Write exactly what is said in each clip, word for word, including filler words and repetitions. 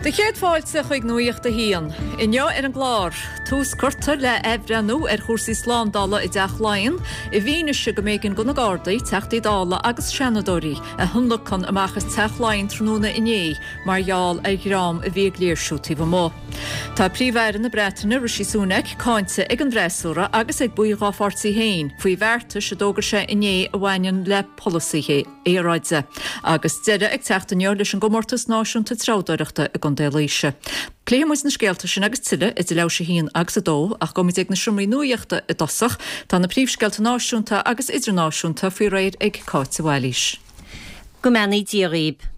Do chéad fáilte chuig Nuacht a hAon. Inniu ar an gclár, tús curtha le athbhreithniú ar chúrsaí slándála i dTeach Laighean, i bhfianaise go mb'éigean do na Gardaí, Teachtaí Dála agus Seanadóirí a thionlacan amach as Teach Laighean tráthnóna inné mar gheall ar dhream a bhí ag léirsiú taobh amuigh. Tá Príomh-Aire na Breataine Rishi Sunak cáinte ag an bhfreasúra agus ag baill dá pháirtí féin faoi bheartais a d'fhógair sé inné a bhaineann le polasaithe aeráide. Agus deireadh ag teacht inniu leis an gcomórtas náisiúnta treabhdóireachta i gContae Laoise. Pléifidh muid na scéalta sin agus tuilleadh idir leathuair tar éis a haon agus a dó ach gabhfaimid ag na seomraí nuachta i dtosach, tá na príomhscéalta náisiúnta agus idirnáisiúnta faoi réir ag Cáit Bhailís. Go mbeannaí Dia dhaoibh.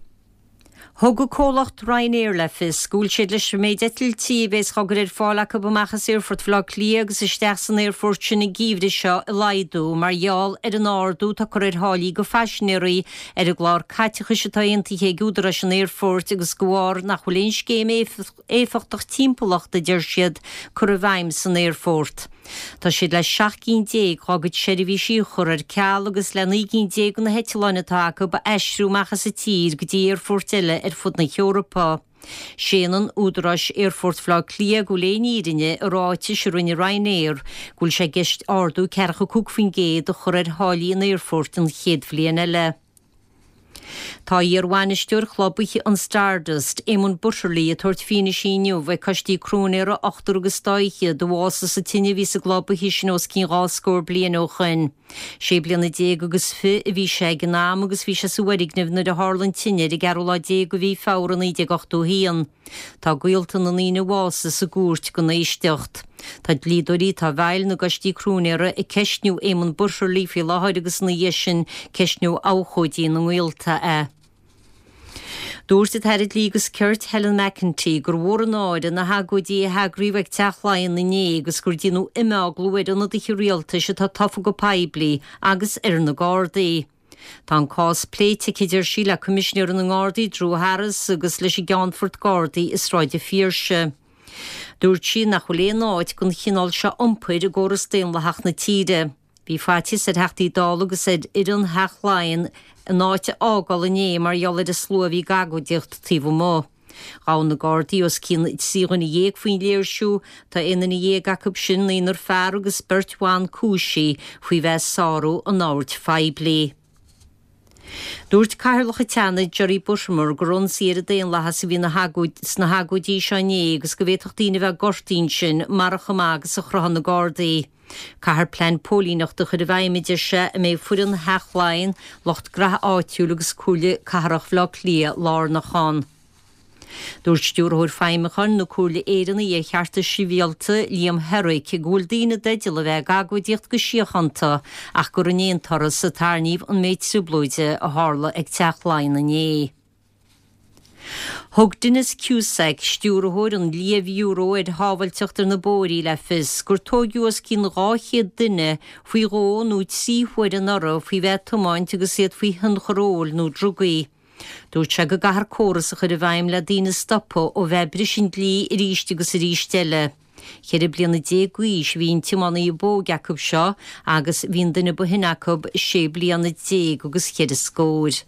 Thug an comhlacht Ryanair le fios go bhfuil siad leis an méid eitiltí a bheas á gcur ar fáil acu amach as Aerfort Bhaile Átha Cliath agus isteach san aerfort sin an geimhreadh seo a laghdú mar gheall ar an ardú atá curtha ar tháillí do phaisinéirí ar an gclár caiteachais atá aontaithe ag údaráis an aerfoirt agus de bharr nach bhfuil aon scéim éifeachtach timpeallachta deir siad curtha i bhfeidhm san aerfort. Tá siad le seacht gcinn déag dá gcuid seirbhísí a chur ar ceal agus le naoi gcinn déag de na heitleáin atá acu a aistriú amach as an tír go dtí aerfoirt eile ar fud na hEorpa. Séanann údaráis Aerfort Bhaile Átha Cliath go bhfuil aon fhírinne i ráitis a rinne Ryanair go bhfuil sé i gceist ardú ceathracha cúig faoin gcéad a chur ar tháillí an aerfoirt an chéad bhliain eile. Tá iar-bhainisteoir chlub oíche an Stardust, Éamonn Butterly, ag tabhairt fianaise inniu ag coistí cróinéara ochtar agus dá fhichead a bhásaigh sa tine a bhí sa gclub oíche sin os cionn dhá scór bliain ó shin. Sé bliana déag agus fiche a bhí sé ag an am agus bhí sé sa bhfoirgneamh nuair a tharla an tine ar an gceathrú lá déag de mhí Feabhra naoi déag ochtó haon. Tá gaolta na ndaoine a bhásaigh sa gcúirt don éisteacht. Tá dlíodóirí atá i bhfeighil na gcoistí cróinéara ag ceistniú Éamonn Butterly faoi láthair agus ina dhiaidh sin ceistneoidh abhcóidí na ngaolta é. Dúirt an tAire Dlí agus Cirt Helen McEntee gur mhór an náire na hagóidí a heagraíodh ag Teach Laighean inné agus gur déanadh imeaglú ar ionadaithe rialtais atá tofa go poiblí agus ar na Gardaí. Tá an cás pléite aici deir sí le Coimisinéir na nGardaí Drew Harris agus leis an gCeannfort Gardaí i Sráid an Phiarsaigh. Dúirt sí nach bhfuil aon áit don chineál seo iompair i gcóras daonlathach na tíre. Bhí faitíos ar Theachtaí Dála agus ar fhoireann Theach Laighean an áit a fhágáil inné mar gheall ar an slua a bhí ag agóidíocht taobh amuigh. Ghabh na Gardaí os cionn trí dhuine dhéag faoin léirsiú, tá aon duine dhéag acu sin naonúr fear agus beirt bhan cúisithe faoi bheith ag sárú an oird phoiblí. Dúirt Cathaoirleach an tSeanaid Jerry Buttimer gur ionsaí ar an daonlathas a bhí sna hagóidí seo inné agus go bhféadfadh daoine a bheith gortaithe ansin murach chomh maith agus a chruthaigh na Gardaí. Caithfear plean póilíneachta a chur i bhfeidhm a deir sé a mbeidh foireann Theach Laighean, lucht graithe áitiúil agus Comhairle Cathrach Bhaile Átha Cliath lárnach ann. Dúirt stiúrthóir feidhmiúcháin na Comhairle Éireannaí ar Chearta Sibhialta Liam Herrick go bhfuil daoine i dteideal a bheith ag agóidíocht go síochánta ach gur in aon turas a tarraingíodh an méid trioblóide a tharla ag Teach Laighean inné. Thug Denis Cusack, stiúrthóir an Lia-Bhiúró ar Shábháilteacht ar na Bóithre le fios gur tóigeadh os cionn dhá chéad duine faoi dhó nó trí huaire anuraidh faoi bheith ag tiomáint agus iad faoi thionchar óil nó drugaí. Dúirt sé go gcaithfear córas a chur i bhfeidhm le daoine a stopadh ó bheith ag briseadh an dlí arís agus arís eile. Ceithre bliana déag d'aois a bhí an tiománaí ab óige acu seo agus bhí an duine ba shine acu sé bliana déag agus ceithre scór.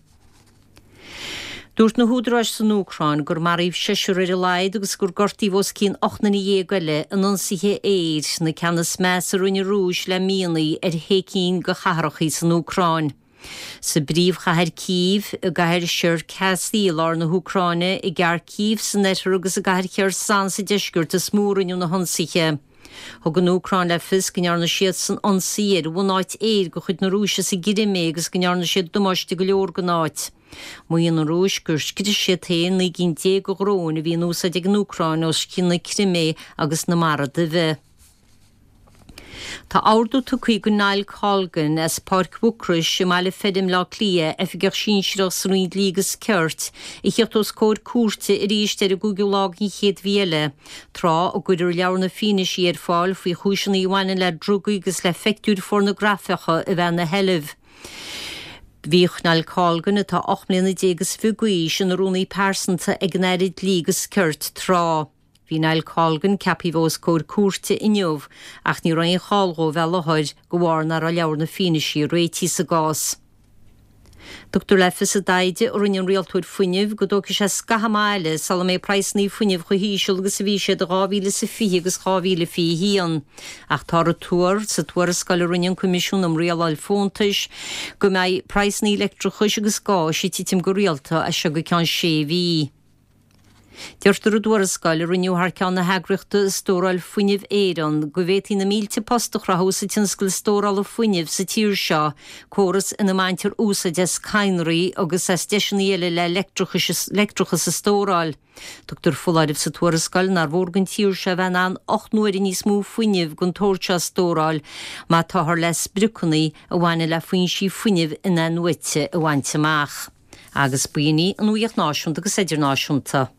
Dúirt na húdaráis san Úcráin gur maraíodh seisear ar a laghad agus gur gortaíodh os cionn ocht nduine dhéag eile in ionsaithe aeir, na ceanna is measa a rinne an Rúis le míonna ar shé cinn de chathracha san Úcráin. Sa bpríomhchathair Cív, i gcathair Cherkasy i lár na hÚcráine, i gCarcív san oirthear agus i gcathair Kherson sa deisceart is mó a rinneadh na hionsaithe. Thug an Úcráin le fios go ndearna siadsan ionsaí ar bhunáit aeir de chuid na Rúise sa gCrimé agus go ndearna siad damáiste go leor don áit. Maíonn an Rúis gur scrios siad féin naoi gcinn déag de dhróin a bhí in úsáid ag an Úcráin os cionn na Crimé agus na Mara Duibhe. Tá ordú tugtha do Niall Colgan as Páirc Mhucrois i mBaile Feirm Átha Cliath, oifigeach sinsearach sa Roinn Dlí agus Cirt, a theacht os comhair cúirte arís ar an gcúigiú lá den chéad mhí eile, tráth a gcuirfear leabhar na fianaise ar fáil faoi chúiseanna a bhaineann le drugaí agus le pictiúir phornagrafacha a bheith ina sheilbh. Bhíodh Niall Colgan, atá ocht mbliana déag is fiche d'aois, ina rúnaí pearsanta ag an Aire Dlí agus Cirt tráth. Bhí Niall Colgan ceaptha a bheith os comhair cúirte inniu ach ní raibh aon chall dhó bheith i láthair de bharr nach raibh leabhar na fianaise réitithe sa gcás. Tugtar le fios i dtaighde a rinne an rialtóir fuinnimh go dtógfaidh sé scaitheamh eile sula mbeidh praghsanna fuinnimh chomh híseal agus a bhí siad i dhá mhíle is a fiche agus dhá mhíle fiche a haon. Ach táthar ag tuar sa tuarascáil a rinne an Coimisiún um Rialáil Fóntais go mbeidh praghsanna leictreachais agus gáis ag titim go rialta as seo go ceann sé mhí. Deirtear i dtuarascáil a rinneadh thar ceann na heagraíochta Stóráil Fuinnimh Éireann go bhféadfaí na mílte post a chruthú sa tionscal stórála fuinnimh sa tír seo, córas ina mbaintear úsáid as cadhnraí agus as deiseanna eile le leictreachas a stóráil. Tugtar foláireamh sa tuarascáil nár mhór don tír seo a bheith in ann ocht n-uaire níos mó fuinnimh den tsórt seo a stóráil má táthar le spriocanna a bhaineann le foinsí fuinnimh in-athnuaite a bhaint amach. Agus b'in í an nuacht náisiúnta agus idirnáisiúnta.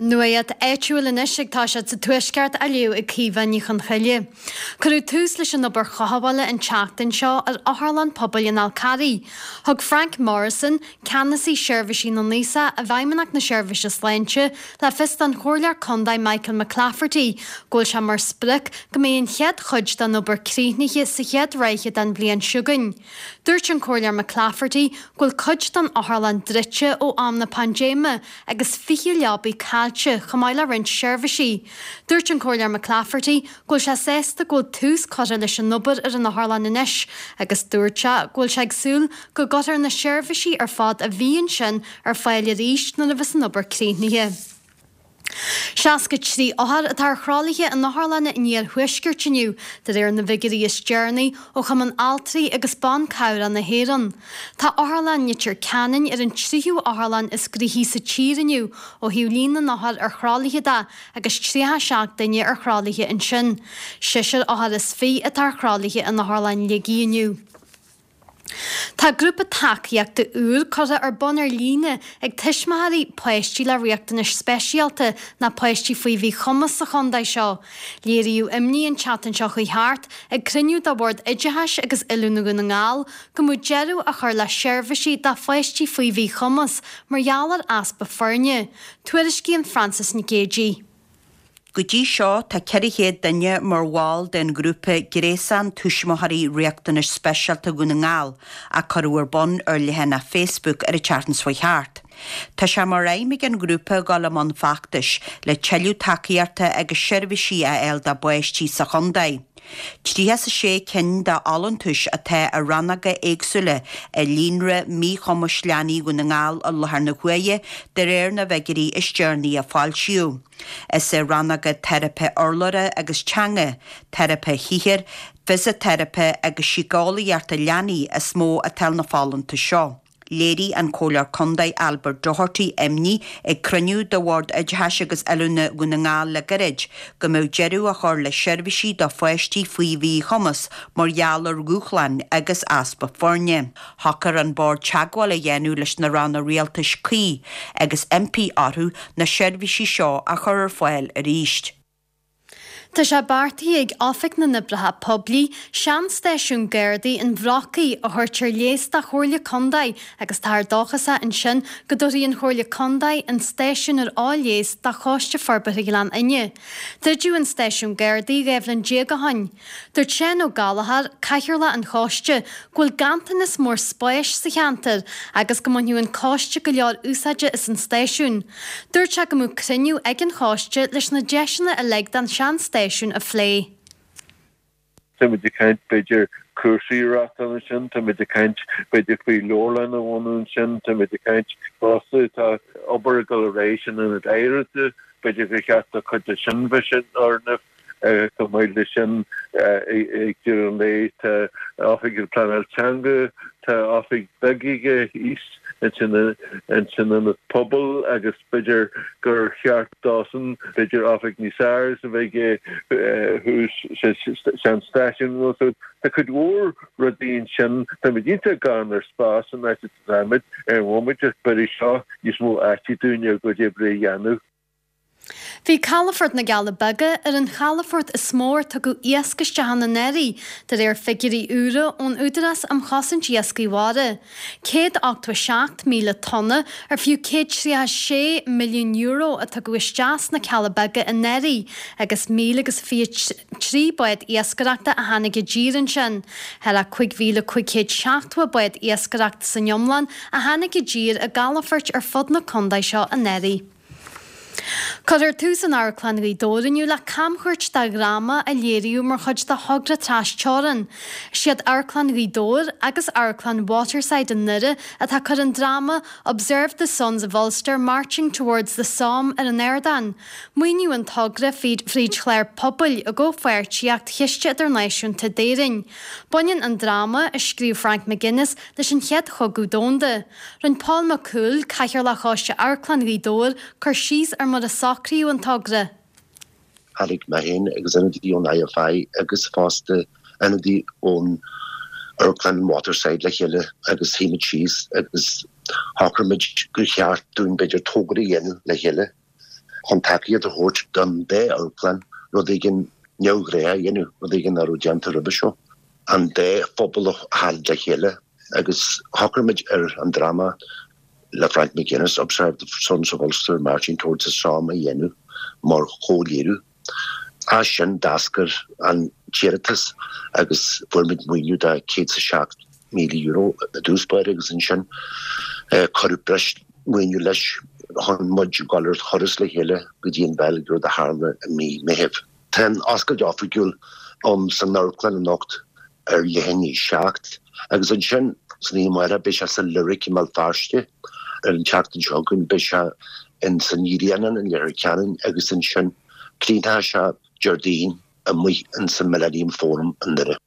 Nuacht áitiúil anois ag toiseacht sa Tuaisceart á léamh ag Caoimhe Ní Chonchoille. Cuireadh tús leis an obair chothabhála an tseachtain seo ar Otharlann Pobail an Fhál Carraigh. Thug Frank Morrison, Ceannasaí Seirbhísí na nAosach i bhFeidhmeannacht na Seirbhíse Sláinte, le fios don Chomhairleoir Contae Michael McClafferty go bhfuil sé mar sprioc go mbeidh an chéad chuid den obair críochnaithe sa chéad ráithe den bhliain seo chugainn. Dúirt an Comhairleoir McClafferty go bhfuil cuid den otharlann druidte ó am na paindéime agus fiche leabaidh caillte chomh maith le roinnt seirbhísí. Dúirt an Comhairleoir McClafferty go bhfuil sé sásta go bhfuil tús curtha leis an obair ar an otharlann anois agus dúirt sé go bhfuil sé ag súil go gcuirfear na seirbhísí ar fad a bhí ansin ar fáil arís nuair a bheas an obair críochnaithe. Seasca trí othar atá ar thralaithe in otharlanna an iarthuaiscirt inniu, de réir na bhfigiúirí is deireanaí ó Chumann Altraí agus Ban Cabhrach na hÉireann. Tá Otharlann Leitir Ceanainn ar an tríú otharlann is gnoithí sa tír inniu ó thaobh líon na n-othar ar thralaithe de agus tríocha seacht duine ar thralaithe ansin. Seisear othar is fiche atá ar thralaithe in Otharlann Shligigh inniu. Tá grúpa tacaíochta úr curtha ar bun ar líne ag tuismitheoirí páistí le riachtanais speisialta nó páistí faoi mhíchumas sa chontae seo. Léiríodh imní an tseachtain seo chuaigh thart ag cruinniú de Bhord Oideachais agus Oiliúna Dhún na nGall go mbeadh deireadh á chur le seirbhísí do pháistí faoi mhíchumas mar gheall ar easpa foirne. Tuairiscíonn Frances Nic Géadaigh. Go dtí seo tá ceithre chéad duine mar bhall den ghrúpa Gréasán Tuismitheoirí Riachtanais Speisialta Dhún na nGall a cuireadh ar bun ar leathanach Facebook ar an tseachtain seo thart. Tá sé mar aidhm ag an ghrúpa dul i mbun feachtais le tuilleadh tacaíochta agus seirbhísí a fháil dá bpáistí sa chontae. Tríocha is a sé cinn de fholúntais atá i rannóga éagsúla i líonra míchumais leanaí Dhún na nGall i láthair na huaire de réir na bhfigiúirí is deireanaí a foilsíodh. Is i rannóga teiripe urlabhra agus teanga, teiripe shaothair, fisiteiripe agus síceolaíochta leanaí is mó atá na folúntais seo. Léirigh an Comhairleoir Contae Albert Doherty imní ag cruinniú de Bhord Oideachais agus Oiliúna Dhún na nGall le gairid go mbeadh deireadh á chur le seirbhísí do pháistí faoi mhíchumas mar gheall ar dhúshláin agus easpa foirne. Shocair an Bord teagmháil a dhéanamh leis na ranna rialtais cuí agus impí orthu na seirbhísí seo a chur ar fáil arís. Tá sé beartaithe ag Oifig na nOibreacha Poiblí seanstáisiún Gardaí an Bhrocaigh a thabhairt ar léas do Chomhairle Contae agus táthar dóchasach ansin go dtabharfaidh an Chomhairle Contae an stáisiún ar léas do Choiste Forbartha Ghleann Fhinne. Druideadh an stáisiún Gardaí dhá bhliain déag ó shin. Dúirt Seán Ó Gallchóir, Cathaoirleach an Choiste, go bhfuil ganntanas mór spáis sa cheantar agus go mbainfeadh an coiste go leor úsáide as an stáisiún. Dúirt sé go mbeadh cruinniú ag an choiste leis na deiseanna uilig don seanstáisiún a phlé. Táimid ag caint b'fhéidir cúrsaí a reáchtáil ansin, táimid ag caint b'fhéidir faoi leabharlann a bhunú ansin, táimid ag caint fosta tá obair ag dul ar aghaidh san ionad oidhreachta, b'fhéidir gur cheart do chuid de sin bheith san fhoirgneamh. Chomh maith leis sin ag deireadh an lae tá oifig an pleanáil teanga, tá oifig bheag aige thíos ansin san ionad pobail agus b'fhéidir gur cheart dósan b'fhéidir oifig níos fearr a bheith aige thuas sa seanstáisiún. So tá cuid mhór rudaí ansin, táimid iontach gann ar spás san áit atáimid ar an bhomaite ach b'fhéidir seo níos mó áite dúinn ár gcuid oibre a dhéanamh. Bhí Calafort na gCealla Beaga ar an chalafort is mó ar tugadh iasc isteach ann anuraidh, de réir figiúirí úra ón Údarás um Chosaint Iascaigh Mhara. céad ochtó a seacht míle tonna ar fiú céad tríocha sé milliún euro a tugadh isteach sna Cealla Beaga anuraidh agus míle agus fiche trí bád iascaireachta a tháinig i dtír ansin. Thar a cúig mhíle cúig chéad seachtó bád iascaireachta san iomlán a tháinig i dtír i gcalafoirt ar fud na contae seo anuraidh. Cuirfear tús in Amharclann Ghaoth Dobhair inniu le camchuairt de dhráma a léiríodh mar chuid de thogra trasteorann. Is iad Amharclann Ghaoth Dobhair agus Amharclann Waterside i nDoire atá ag cur an dráma Observe the Sons of Ulster Marching Towards the Somme ar an ardán. Maoiníodh an togra fríd chlár pobail i gcomhpháirtíocht Chiste Idirnáisiúnta d'Éirinn. Baineann an dráma, a scríobh Frank McGuinness, leis an Chéad Chogadh Domhanda. Rinne Paul Mac Cumhaill, Cathaoirleach Choiste Amharclann Ghaoth Dobhair, cur síos ar mar a socraíodh an togra. Tháinig mé féin agus ionadaí ón IFI agus fosta ionadaí ón Amharclann Waterside le chéile agus shuigh muid síos agus shocraigh muid gur cheart dúinn b'fhéidir togra a dhéanamh le chéile chun tacaíocht a thabhairt don dá amharclann, rud éigin neamhghnách a dhéanamh, rud éigin nach raibh déanta roimhe seo. An dá phobal a tharraingt le chéile agus shocraigh muid ar an dráma le Frank McGuinness, Observe the Sons of Ulster Marching Towards the Somme a dhéanamh mar chomhléiriú. As sin d'eascair an t-iarratas agus fuair muid maoiniú de céad is a seacht míle euro i dtús báire agus ansin cuireadh breis maoiniú leis chun muid a ghabháil ar thuras le chéile go dtí an Bheilg, rud a tharla i mí Meithimh. Tá an oscailt oifigiúil ann san amharclann anocht ar leath i ndiaidh a seacht agus ansin san oíche amárach beidh sé sa Lyric i mBéal Feirste, ar an tseachtain seo chugainn beidh sé in san Grianán in Leitir Ceanainn agus ansin críochnóidh sé Déardaoin amuigh in san Millennium Forum i nDoire.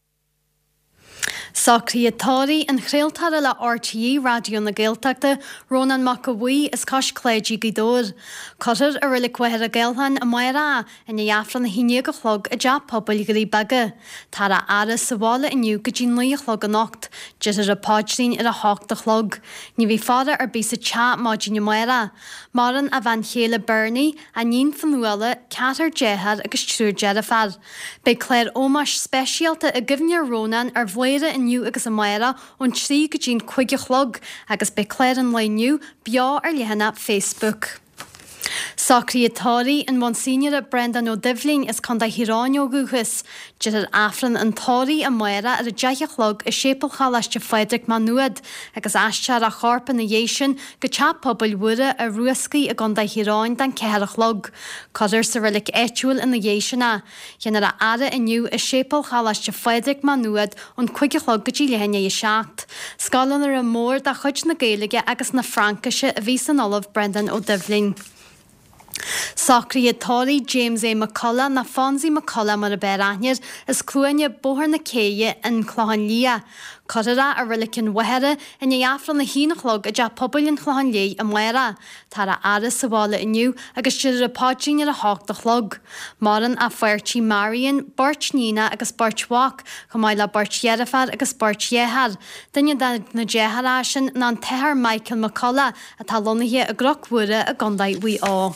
Socruithe tórraimh an chraoltóra le RTÉ Raidió na Gaeltachta, Rónán Mac Aodha Bhuí as Cois Cláidí, Gaoth Dobhair. Cuirfear i Reilig Mhachaire Gathlán amárach é i ndiaidh Aifreann a haon déag a chlog i dTeach Pobail Dhoirí Beaga. Táthar á fhaire sa bhaile inniu go dtí naoi a chlog anocht. Déarfar an paidrín ar a hocht a chlog. Ní bheidh faire ar bith sa teach maidin amárach. Maireann a bhean chéile Bernie, a iníon Fionnuala, ceathrar dearthár agus triúr deirféar. Beidh clár ómóis speisialta i gcuimhne ar Rónán ar Bhladhaire inniu agus amárach ón trí go dtí'n cúig a chlog agus beidh clár an lae inniu beo ar leathanach Facebook. Socruithe tórraimh an Mhonsíneora Breandán Ó Doibhlin as Contae Thír Eoghain ó dhúchas. Déarfar Aifreann an tórraimh amárach ar a deich a chlog i Séipéal Choláiste Phádraig Maigh Nuad agus aistreofar a chorp ina dhiaidh sin go Teach Pobail Mhuire i Rúscaí i gContae Thír Eoghain don ceathair a chlog. Cuirfear sa reilig áitiúil ina dhiaidh sin é. Déanfar a fhaire inniu i Séipéal Choláiste Phádraig Maigh Nuad ón cúig a chlog go dtí leath i ndiaidh a seacht. Scoláire mór de chuid na Gaeilge agus na Fraincise a bhí san Ollamh Breandán Ó Doibhlin. Socruithe tórraimh James A. McCullough nó Fonzie McCullough mar ab fhearr aithne air, as Cluaine, Bóthar na Céidhe, An Clochán Liath. Cuirfear é i Reilig an Mhachaire i ndiaidh Aifreann a haon a chlog i dTeach Pobail an Chlocháin Léith amárach. Táthar á fhaire sa bhaile inniu agus déarfar an paidrín ar a hocht a chlog. Maireann a pháirtí Marion, beirt níonacha agus beirt mhac, chomh maith le beirt dheirféar agus beirt dhearthár. Duine de na deartháireacha sin ná an tAthair Michael McCullough atá lonnaithe i gCnoc Mhuire i gContae Mhaigh Eo.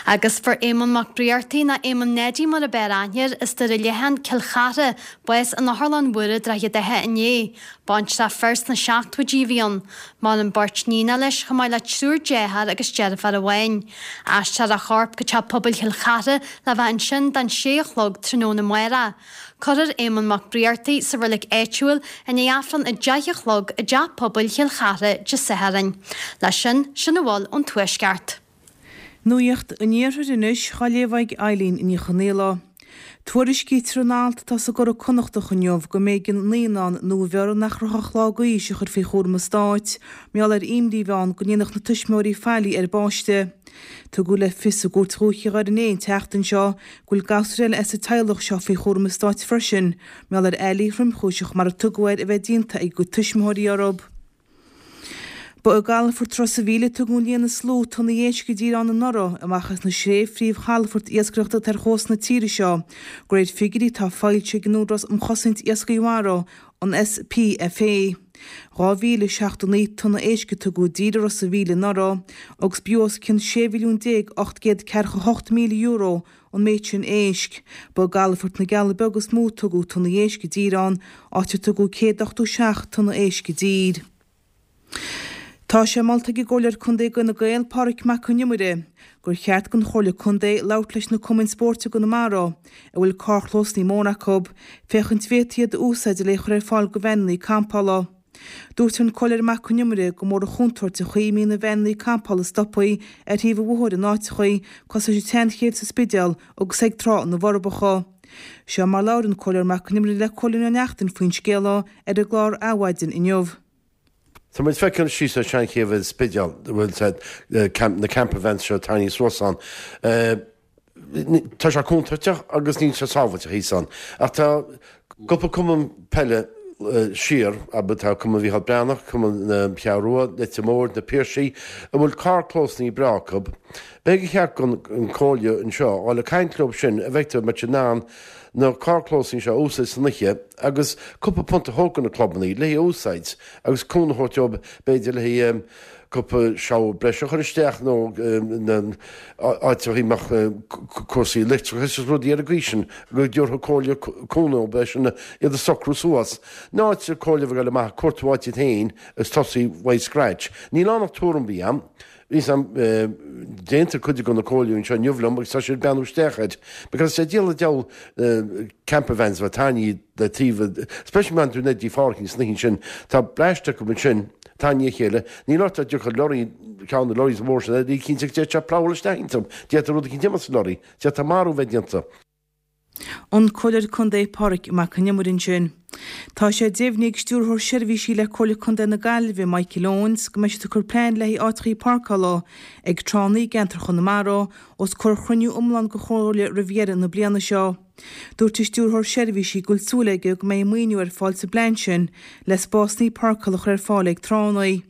Agus fuair Éamonn Mac Briartaigh, nó Éamonn Neidí mar ab fhearr aithne air, as Doire Leathan, Cill Chartha, bás in Otharlann Mhuire, Droichead Átha inné. Baintreach fir sna seachtóidí a bhí ann. Maireann beirt níonacha leis, chomh maith le triúr dearthár agus deirfiúr amháin. Aistreofar a chorp go Teach Pobail Chill Chartha le bheith ansin don sé a chlog tráthnóna amárach. Cuirfear Éamonn Mac Briartaigh sa reilig áitiúil i ndiaidh Aifreann a deich a chlog i dTeach Pobail Chill Chartha Dé Sathairn. Leis sin, sin a bhfuil ón Tuaisceart. Nuacht an Iarthair anois, á léamh ag Eileen Ní Chonghaile. Tuairiscítear in alt atá sa gCuradh Connachtach inniu go mb'éigean naíonán nuabheirthe nach raibh ach lá d'aois a chur faoi chúram an stáit mar gheall ar imní a bhí ann go ndéanfadh na tuismitheoirí faillí ar an bpáiste. Tugadh le fios i gCúirt Dhúiche Dhoire Né an tseachtain seo go bhfuil gasúr eile as an teaghlach seo faoi chúram an stáit freisin mar gheall ar fhaillí thromchúiseach mar a tugadh air a bheith déanta ag a gcuid tuismitheoirí orthu. Ba i gcalafort Ros a' Mhíl a tugadh an líon is lú tonnaí éisc i dtír ann anuraidh, amach as na sé phríomhchalafort iascaireachta atá ar chósta na tíre seo, de réir figiúirí atá foilsithe ag an Údarás um Chosaint Iascaigh Mhara, an SPFA. Dhá mhíle seachtó naoi tonna éisc a tugadh i dtír i Ros a' Mhíl anuraidh, agus b'fhiú os cionn sé mhilliún déag ocht gcéad ceathracha hocht míle euro an méid sin éisc. Ba i gcalafort na gCealla Beaga is mó a tugadh tonnaí éisc i dtír ann, áit ar tugadh céad ochtó seacht tonna éisc i dtír. Tá sé molta ag an gComhairleoir Contae d'Fhine Gael, Pádraig Mac Con Iomaire, gur cheart don Chomhairle Contae labhairt leis na cumainn spóirt i gConamara, a bhfuil carrchlósanna móra acu, féachaint bhféadfaí iad a úsáid le chur ar fáil do veaineanna campála. Dúirt an Comhairleoir Mac Con Iomaire gur mór an chontúirt an chaoi a mbíonn na veaineanna campála stoptha ar thaobh an bhóthair in áiteachaí cosúil leis an tSeanchéibh sa Spidéal agus ag Trá na bhForbacha. Seo mar labhair an Comhairleoir Mac Con Iomaire le Cóilín Ó Neachtain faoin scéal ar an gclár Adhmhaidin inniu. Tá muid feiceáil síos ar Seanchéibh an Spidéal, bhfuil na camper vans seo tarraingthe suas ann. Tá sé contúirteach agus níl sé sábháilte thíos ann. Ach tá cúpla cumann peile siar, abair tá Cumann Mhícheál Breathnach, Cumann na Ceathrún Rua, Leitir Móir, Na Piarsaigh, a bhfuil carrchlósanna breá acu. B'fhéidir gur cheart don Chomhairle anseo a dhul ag caint leo sin a bhfeictear muid in ann na carrchlósanna seo a úsáid san oíche agus cúpla punt a thabhairt do na clubanna le haghaidh úsáid agus cúnamh a thabhairt dóibh b'fhéidir le haghaidh cúpla shower breise a chur isteach nó áit a mbeadh cúrsaí leictreachais agus rudaí ar an gcaoi sin go dtabharfadh comhairle cúnamh dóibh sin iad a socrú suas. In áit comhairle a bheith ag dul amach ag cuartú áit iad féin agus tosaí uaidh scratch. Níl ann ach tuairim a bhí a'm. Bhí sam déanta cuid de na comhairleoirí anseo inniu liom agus tá siad ag breathnú isteach air because sé díol an diabhal camper vans a bheith tarraingthe le taobh especially má tú ag pháircing san oíche sin tá bleaist acu ansin tarraingthe a chéile níl ort ach dtiocfadh lorry ceann de lorries mhór sin ní cinnte go dtéadh sé plougháil isteach iontu d'fhéadfadh rud eicínt imeacht sa lorry d'fhéadfadh marú bheith déanta. An Comhairleoir Contae Pádraig Mac Con Iomaire ansin. Tá sé deimhnithe ag Stiúrthóir Seirbhísí le Comhairle Contae na Gaillimhe, Michael Owens, go mbeidh siad ag cur plean le haghaidh áiteachaí páirceála ag tránna i gceantar Chonamara os comhair chruinniú iomlán den Chomhairle roimh dheireadh na bliana seo. Dúirt an Stiúrthóir Seirbhísí go bhfuil súil aige go mbeidh maoiniú ar fáil sa bplean sin le spásanna páirceála a chur ar fáil ag tránna.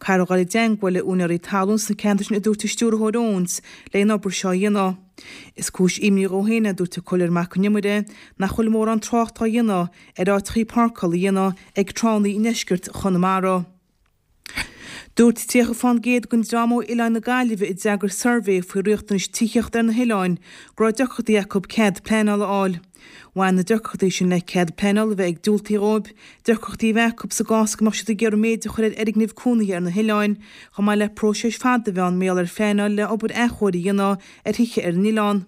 Caithfear a dhul i dteangmháil le úinéirí talún sna ceantair sin a dúirt an Stiúrthóir Owens le an obair seo a dhéanamh. Is cúis imní dhó féin, a dúirt an Comhairleoir Mac Con Iomaire, nach bhfuil mórán trácht á dhéanamh ar áiteachaí páirceála a dhéanamh ag tránna i ndeisceart Chonamara. Dúirt tríocha fán gcéad den dream ó Oileáin na Gaillimhe a d'fhreagair suirbhé faoi riachtanais tithíochta ar na hoileáin go raibh deacrachtaí acu cead pleanála a fháil. Bhain na deacrachtaí sin le cead pleanála a bheith ag diúltaí dhóibh, deacrachtaí a bheith acu sa gcás go mbeadh siad ag iarraidh méid a chur ar fhoirgnimh cónaithe ar na hoileáin, chomh maith le próiseas fada a bheith ann mar gheall ar phleanáil le obair athchóirithe a dhéanamh ar thithe ar an oileán.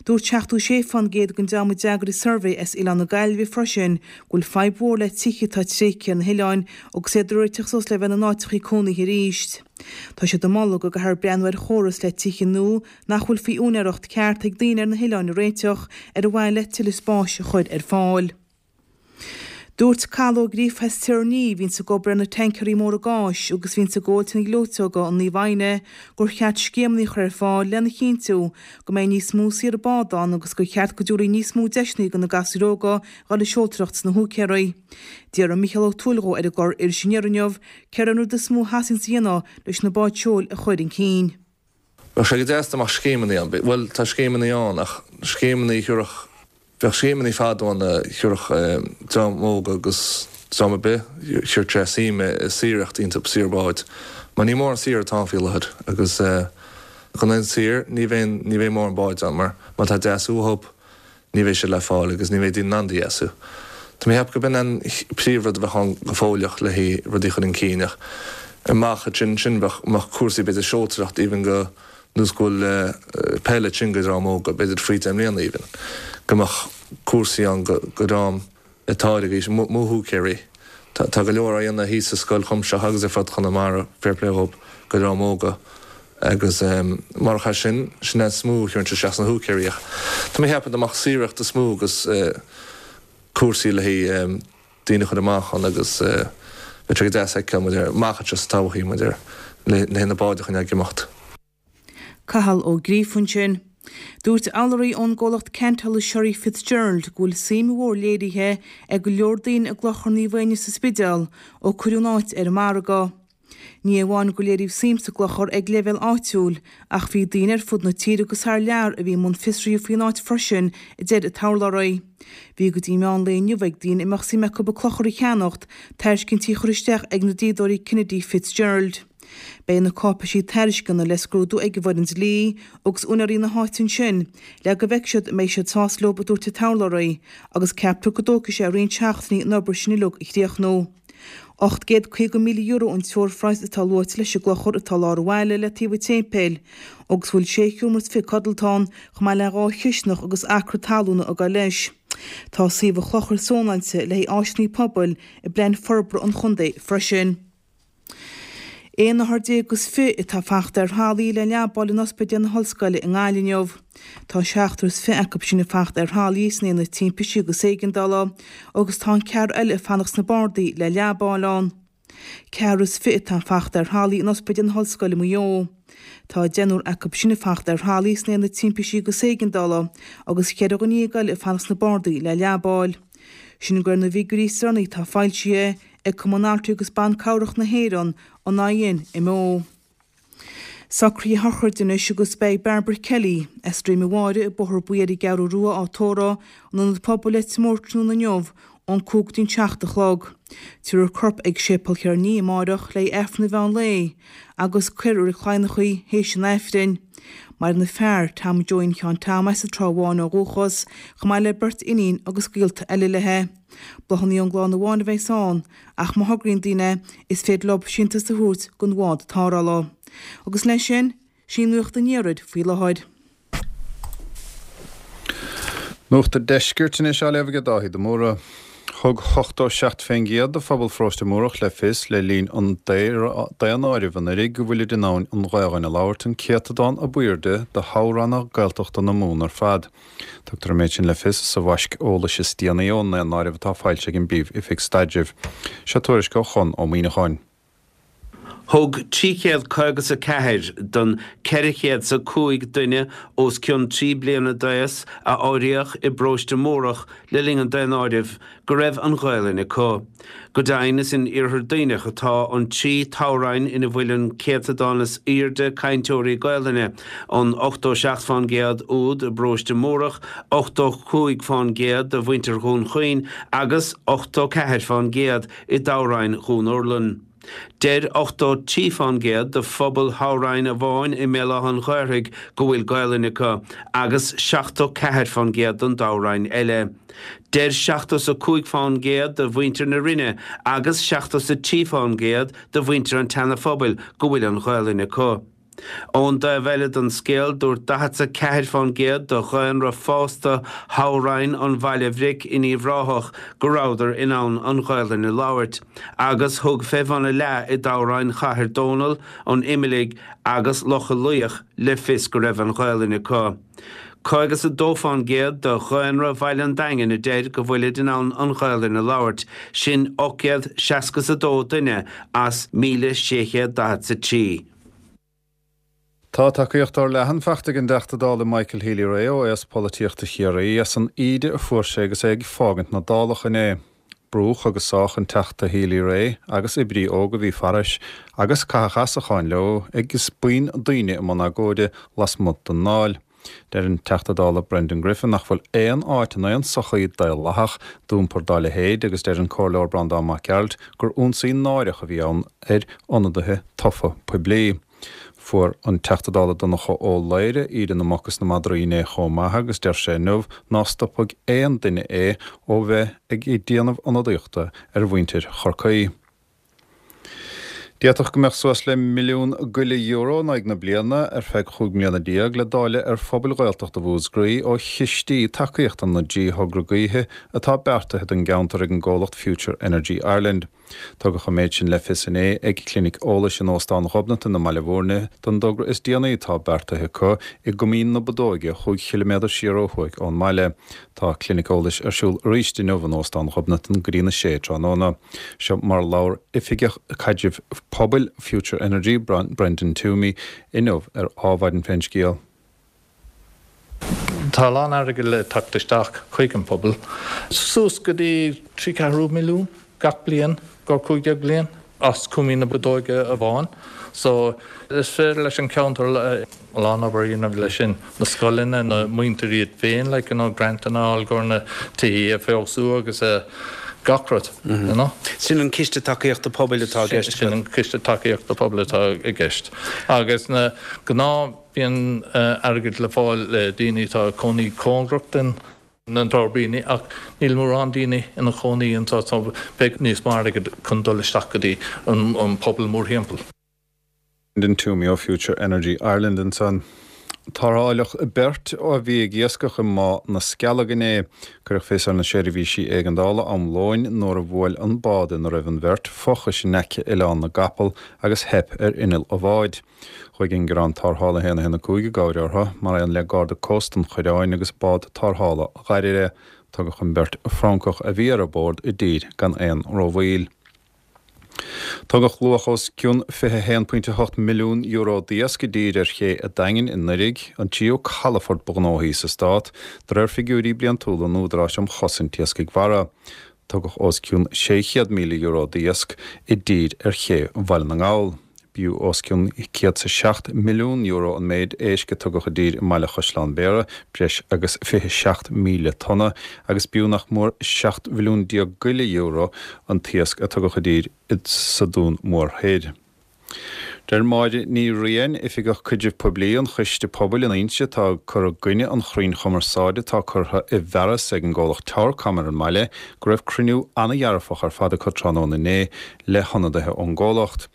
Dúirt seachtó sé fán gcéad den dream a d'fhreagair an suirbhé as Oileán na Gaillimhe freisin go bhfuil fadhb mhór le tithe atá tréigthe ar na hoileáin agus iad a réiteach suas le bheith ina n-áiteachaí cónaithe arís. Tá siad ag moladh go gcaithfear breathnú ar chóras le tithe nua nach bhfuil faoi úinéireacht ceart ag daoine ar na hoileáin a réiteach ar mhaithe le tuilleadh spáis a chur ar fáil. Dúirt Cathal Ó Gríofa as Tír an Fhia, a bhíonns ag obair ar na tancaeirí móra gáis agus a bhíonns ag gabháil na gleoiteoga i Naomh Adhamhnáin gur cheart scéimeanna a chur ar fáil lena chinntiú go mbeidh níos mó saoire bád ann agus gur cheart go dtabharfaí níos mó deiseanna do na gasúir óga dhul ag seoltóireacht sna húicéaraí. D'fhiafraigh Mícheál Ó Tuathail dhó ar an gclár Iris Aniar inniu céard é an rud is mó a theastaíonns a dhéanamh leis na báid seoil a chur chun cinn. Bheadh sé go deas dá mbeadh scéimeanna ann. Bhuel, tá scéimeanna ann ach scéimeanna a thabharfadh Bheadh scéimeanna fadó ann a thabharfadh dream óg agus dream ar bith, chuirfeadh sé suim i saoireacht iontu, saoire báid. Mar ní mórán saoire atá ann faoi láthair agus gan aon saoire ní bheidh, ní bheidh mórán báid ann mar má tá deasú uathu ní bheidh siad le fáil agus ní bheidh daoine in ann iad a dheasú. Tá mé ag ceapadh gurb in an príomhrud a bheadh ann go fóilleach le haghaidh rudaí a chur chun cinn ach amach ansin sin bheadh, mbeadh cúrsaí b'fhéidir seoltóireacht even go nós go bhfuil peil ansin go dream óg, b'fhéidir faoi deich mbliana even, go mbeadh cúrsaí ann go dream atá ag aois mo húicéirí. Tá go leor á dhéanamh thíos sa Scoil Chuimsitheach agus ar fud Chonamara, fair play dhób, go dream óga agus marach é sin, sin é is mó a chuireann isteach sna húicéirí ach tá mé ag ceapadh dá mbeadh saoireacht is mó agus cúrsaí le haghaidh daoine a chur amach ann agus bheadh sé go deas a fheiceáil muid ar amach anseo sa todhchaí muid ar le haghaidh na báid a choinneáil ag imeacht. Cathal Ó Gríofa ansin. Dúirt allairí ón gcomhlacht ceantála Sherry Fitzgerald go bhfuil suim mhór léirithe ag go leor daoine i gClochar Naomh Éinne sa Spidéal ó cuireadh an áit ar an margadh. Ní amháin gur léiríodh suim sa gclochar ag leibhéal áitiúil, ach bhí daoine ar fud na tíre agus thar lear a bhí i mbun fiosraithe faoin áit freisin, a deir an t-urlabhraí. Bhí go dtí meán lae inniu ag daoine a mbeadh suim acu an clochar a cheannacht, tairiscintí a chur isteach ag na dlíodóirí Kennedy Fitzgerald. Beidh na cáipeisí tairisceana le scrúdú ag an bhfoireann dlí agus úinéirí na háite ansin le go bhfeicfidh siad an mbeidh siad sásta leo, a dúirt an t-urlabhraí, agus ceaptar go dtógfaidh sé roinnt seachtainí an obair sin uilig a chríochnú. ocht gcéad caoga míle euro an teoirphraghas atá luaite leis an gclochar atá i lár an bhaile le taobh an tséipéil agus a bhfuil sé sheomra is fiche codlata ann chomh maith le dhá chisteanach agus acra talún ag dul leis. Tá suíomh an chlochair zónáilte le haghaidh áiseanna pobail i bplean forbartha an chontae freisin. Aon othar déag is fiche atá fachta ar thralaí le leabáil in Ospidéal na hOllscoile i nGaillimh inniu. Tá seachtar is fiche acu sin ag fanacht ar thralaí san Aonad Timpistí agus Éigeandála agus tá an ceathrar eile ag fanacht sna bardaí le leabáil ann. Ceathrar is fiche atá ag fanacht ar thralaí in Ospidéal na hOllscoile Maigh Eo. Tá deichniúr acu sin ag fanacht ar thralaí san Aonad Timpistí agus Éigeandála agus cheithre dhuine dhéag eile ag fanacht sna bardaí le leabáil. Sin de réir na bhfigiúirí is deireanaí atá foilsithe ag Cumann Altraí agus Ban Cabhrach na hÉireann, an INMO. Socruithe sochraide anois agus beidh Barbara Kelly, as Droim a' Bháire i Bóthar Buí ar an gCeathrú Rua á tórramh in Ionad Pobail Leitir Móir tráthnóna inniu ón cúig go dtí an seacht a chlog. Tabharfar a corp ag Séipéal Chiara Ní amáireach le hAifreann an mheán lae agus cuirfear i Reilig Cladhnach í théis an Aifrinn. Maireann a fear, Tom Joeín Sheáin Tom as an Trá Bháin ó dhúchas, chomh maith le beirt iníon agus gaolta eile léi. Bláthanna ón gclann amháin a bheas ann, ach má thograíonn daoine, is féidir leo síntiús a thabhairt don bhád tarrthála. Agus leis sin, sin Nuacht an Iarthair faoi láthair. Nuacht an Deiscirt anois á léamh ag Dáithí de Mórdha. Thug ochtó seacht fén gcéad de phobal Pharóiste Múrach le fios le linn an daonáirimh anuraidh go bhfuilid in ann an Ghaelainn a labhairt, an céatadán ab airde de thoghranna Gaeltachta na Mumhan ar fad. Tugtar an méid sin le fios sa bhaisc eolais is déanaí ón ndaonáireamh atá foilsithe ag an bPríomh-Oifig Staidrimh. Seo tuairisc ó Chonn Ó Muíneacháin. Thug trí chéad caoga 's a ceathair den ceithre chéad 's a cúig duine os cionn trí bliana d'aos a áiríodh i bparóiste Múrach le linn an daonáirimh go raibh an Ghaelainn acu. Go deimhin is in Iarthar Duibhneach atá an trí toghroinn ina bhfuil an céatadán is airde cainteoirí Gaelainne, an ochtó seacht fán gcéad úd i bparóiste Múrach, ochtó cúig fán gcéad de mhuintir Dhún Chaoin agus ochtó ceathair fán gcéad i dtoghroinn Dhún Urlann. Deir ochtó trí fán gcéad de phobal thoghroinn amháin i mBéal Átha an Ghaorthaidh go bhfuil Gaelainn acu, agus seachtó ceathair fán gcéad don dtoghroinn eile. Deir seachtó 's a cúig fán gcéad de mhuintir na Rinne agus seachtó 's a trí fán gcéad de mhuintir an tSeana-Phobail go bhfuil an Ghaelainn acu. Ón dtaobh eile den scéal, dúirt daichead 's a ceathair fán gcéad de dhaonra fásta thoghroinn an Bhaile Bhric in Uíbh Ráthach go rabhadar in ann an Ghaelainn a labhairt, agus thug fé bhun a leath i dtoghroinn Chathair Dónall, an Imiligh agus Locha Luíoch le fios go raibh an Ghaelainn acu. Caoga 's a dó fán gcéad de dhaonra bhaile an Daingin a deir go bhfuilid in ann an Ghaelainn a labhairt, sin ocht gcéad seasca 's a dó duine as míle sé chéad daichead 's a trí. Tá tacaíocht fhorleathan faighte ag an dTeachta Dála Michael Healy-Rae ó aos polaitíochta Chiarraí as an íde a fuair sé agus é ag fágaint na Dálach inné. Brúdh agus sádh an Teachta Healy-Rae agus oibrí óg a bhí fairis agus caitheadh asacháin leo agus buíon daoine i mbun agóide lasmuigh den nDáil. Deir an Teachta Dála Brendan Griffin nach bhfuil aon áit in aon sochaí daonlathach d'iompar dá leithéid agus deir an Comhairleoir Breandán Mac Gearailt gur ionsaí náireach a bhí ann ar ionadaithe tofa poiblí. Fuair an Teachta Dála Donncha Ó Laoghaire íde na muc is na madraí inné chomh maith agus deir sé inniu ná stopfaidh aon duine é ó bheith ag déanamh ionadaíochta ar mhuintir Chorcaí. D'fhéadfadh go mbeadh suas le milliún goile euro in aghaidh na bliana ar feadh chúig mbliana déag le dáileadh ar phobail Ghaeltachta Mhúscraí ó chistí tacaíochta na dtrí thogra gaoithe atá beartaithe don gceantar ag an gcomhlacht Future Energy Ireland. Tugadh an méid sin le fios inné ag clinic eolais in Óstán Ghobnatan i mBaile Bhúirne don dtogra is déanaí atá beartaithe acu i gCoimín na Bodóige, chúig chiliméadar siar ó thuaidh ón mbaile. Tá clinic eolais ar siúl arís inniu in Óstán Ghobnatan go dtí na sé tráthnóna. Seo mar a labhair Oifigeach Caidrimh Pobail Future Energy, Brendan Toomey, inniu ar Adhmhaidin fén scéal. Tá a lán airgid le teacht isteach chuig an pobal, suas go dtí trí ceathrú milliún gach bliain go cúig déag bliain. as Cúimín na Bodóige amháin. So is féidir leis an ceantar a lán obair a dhéanamh leis sin, na scoileanna, na muintir iad féin, like, you know, grantanna a fháil chun na tithe a feabhsú agus gach rud, you know. Sin an Ciste Tacaíochta Pobail atá i gceist. Sin an Ciste Tacaíochta Pobail atá i gceist. Agus na gnáth bíonn airgead le fáil le daoine atá ag cónaí cóngarach den na tuirbíní ach níl mórán daoine ina chónaí anseo so beidh níos mó airgead chun dul isteach go dtí an pobal mórthimpeall. Brendan Twomey ó Future Energy Ireland ansan. Tarrtháladh beirt a bhí ag iascach i mBá na Scealg inné. Cuireadh fios ar na seirbhísí éigeandála am lóin nuair a bhuail an bád ina raibh an bheirt fochais in aice Oileán na gCapall agus theip ar inneall an bháid. Chuaigh ingearán tarrthála a haon a haon a cúig i gcabhair orthu, mar aon le Garda Cósta an Choireáin agus bád tarrthála Dhoire. Tugadh an bheirt Francach a bhí ar bord i dtír gan aon rómhoill. Tugadh luach os cionn fiche a haon pointe a hocht milliún euro d'iasc i dtír ar ché an Daingin i nDoirigh, an tríú calafort ba ghnóthaí sa stát, de réir figiúirí bliantúla an Údaráis um Chosaint Iascaigh Mhara. Tugadh os cionn sé chéad míle euro d'iasc i dtír ar ché Bhaile na nGall. B'fhiú os cionn céad 's a seacht milliún euro an méid éisc a tugadh i dtír i mbaile Chaisleán Bhéarra, breis agus fiche seacht míle tonna, agus b'fhiú nach mór seacht mhilliún déag go leith euro an t-iasc a tugadh i dtír sa Dún Mór Thoir. Deir Máire Ní Riain, Oifigeach Caidrimh Poiblí an Choiste Pobail in Inse atá ag cur i gcoinne an chrainn chumarsáide atá curtha i bhfearas ag an gcomhlacht Towercom ar an mbaile, go raibh cruinniú an-dhearfach ar fad acu tráthnóna inné le hionadaithe ón gcomhlacht.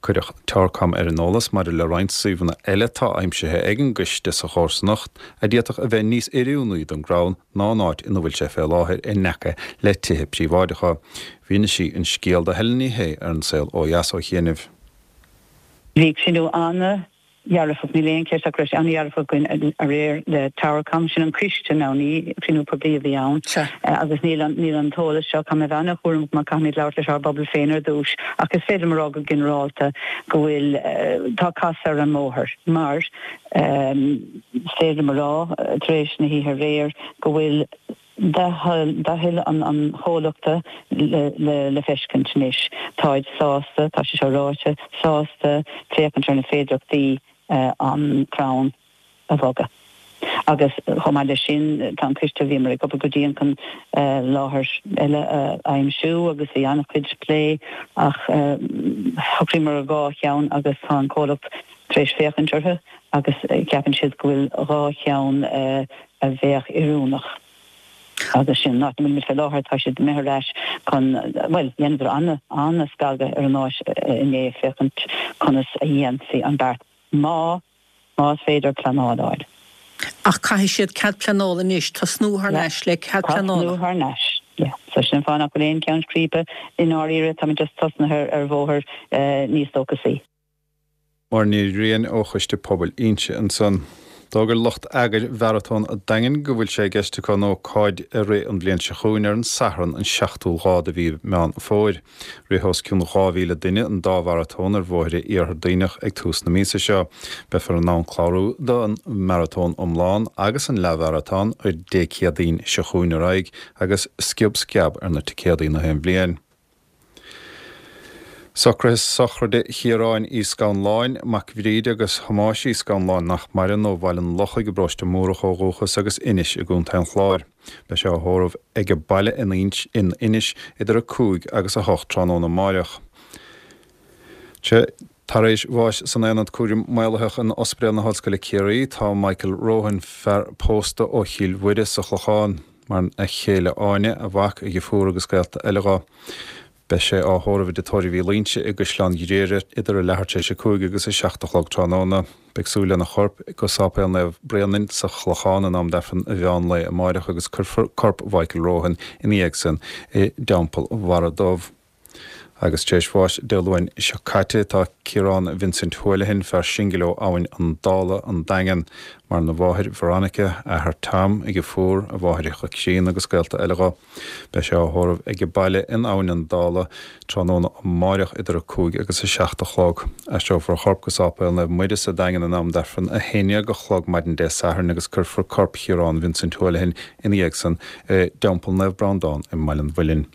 Cuireadh Towercom ar an eolas maidir le roinnt suíomhanna eile atá aimsithe ag an gcoiste sa chomharsanacht a d'fhéadfadh a bheith níos oiriúnaí don gcrann ná an áit ina bhfuil sé fé láthair in aice le tithe príobháideacha. Mhínigh sí an scéal do Helen Ní Shé ar An Saol Ó Dheas ó chianaibh. Bhí cruinniú an-dhearfach, níl aon cheist ach go raibh sé an-dhearfach againn aréir le Towercom, sin an coiste now, ní cruinniú poiblí a bhí ann agus níl an, níl an t-eolas seo, caithfidh mé a bheith an-chúramach mar caithfimid labhairt leis ár bpobal féin ar dtús ach is féidir liom a rá go ginearálta go bhfuil, tá casadh ar an mbóthar mar is féidir liom a rá tar éis na hoíche aréir go bhfuil dea-thoil an chomhlachta le feiscint anois. Táid sásta, tá sé seo ráite, sásta féachaint ar na féidearthachtaí an crann a bhogadh. Agus chomh maith leis sin, tá an coiste, bhíomar ag obair go dian chun láthair eile a aimsiú agus bhí an-chuid plé ach shocraíomar ar dhá cheann agus tá an comhlacht tar éis féachaint orthu agus ceapann siad go bhfuil dhá cheann a bheadh oiriúnach. Agus sin an áit ina bhfuilimid fé láthair, tá siad imithe ar ais chun, bhuel, dheineadar an-scagadh ar an áit inné féachaint conas a dhéanfaí an beart, má, más féidir pleanáil a fháil. Ach caithfidh siad cead pleanála anois, tosnú thar n-ais le cead pleanála. Tosnú thar n-ais, yeah. So sin an fáth nach bhfuil aon cheann scríbe i ndáiríre, táimid just tosnaithe ar bhóthar níos dóchasaí. Máire Ní Riain ó Choiste Pobail Inse ansan. D'fhógair lucht eagair Mharatón an Daingin go bhfuil sé i gceist acu an ócáid a rith an bhliain seo chugainn ar an Satharn an seachtú lá de mhí Meán Fómhair. Rith os cionn dhá mhíle duine an dá mharatón ar bhóithre Iarthar Duibhneach ag tús na míosa seo. Beifear in ann clárú don maratón iomlán agus an leathmharatón ó Dé Céadaoin seo chugainn ar aghaidh agus sciob sceab ar na ticéadaí na haon bhliain. Socruithe sochraide Chiaráin Uí Scanláin, mac Bhríde agus Thomáis Uí Scanláin nach maireann, ó Bhaile an Lochaigh i bparóiste Múrach ó dhúchas agus Inis i gContae an Chláir. Beidh sé á thórramh age baile in Inis idir a cúig agus a hocht tráthnóna amáireach. Tar éis bháis san Aonad Cúraim Maolaitheach in Ospidéal na hOllscoile Ciarraí tá Michael Rohan, fear pósta ó Chill Mhuire sa Chlochán. Maireann a chéile Áine, a mhac, a dheirfiúr agus gaolta eile dho. Beidh sé á thórramh i dTigh Tórraimh Uí Loingsigh i gCaisleán Ghriaire idir a leathuair tar éis a cúig agus a seacht a chlog tráthnóna. Beidh súil lena chorp go Sáipéal Naomh Bréanainn sa Chlochán in am d'Aifreann an mheán lae amáireach agus cuirfear corp Mhichael Rohan ina dhiaidh san i dTeampall Bharra Dubh. Agus tar éis bháis Dé Luain seo caite tá Ciarán Vincent Houlihan, fear singil ó Abhainn an Dála, An Daingean. Maireann a mháthair Veronica, a athair Tom, a dheirfiúr, a mháithreacha críonna agus gaolta eile dho. Beidh sé á thórramh age baile in Abhainn an Dála tráthnóna amáireach idir a cúig agus a seacht a chlog. Aistreofar a chorp go Sáipéal Naomh Muire sa Daingean in am d'Aifreann a haon déag a chlog maidin Dé Sathairn agus cuirfear corp Chiarán Vincent Houlihan ina dhiaidh san i dTeampall Naomh Breandán i mBaile an Mhuilinn.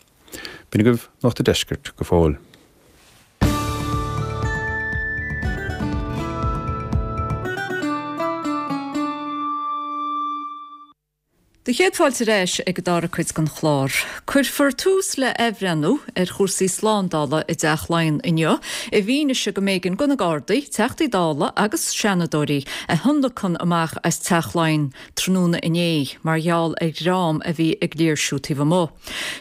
B'in agaibh Nuacht an Deiscirt go fóill. Do chéad fáilte ar ais ag an dara cuid den chlár. Cuirfear tús le athbhreithniú ar chúrsaí slándála i dTeach Laighean inniu, i bhfianaise go mb'éigean do na Gardaí, Teachtaí Dála agus Seanadóirí a thionlacan amach as Teach Laighean tráthnóna inné mar gheall ar dhream a bhí ag léirsiú taobh amuigh.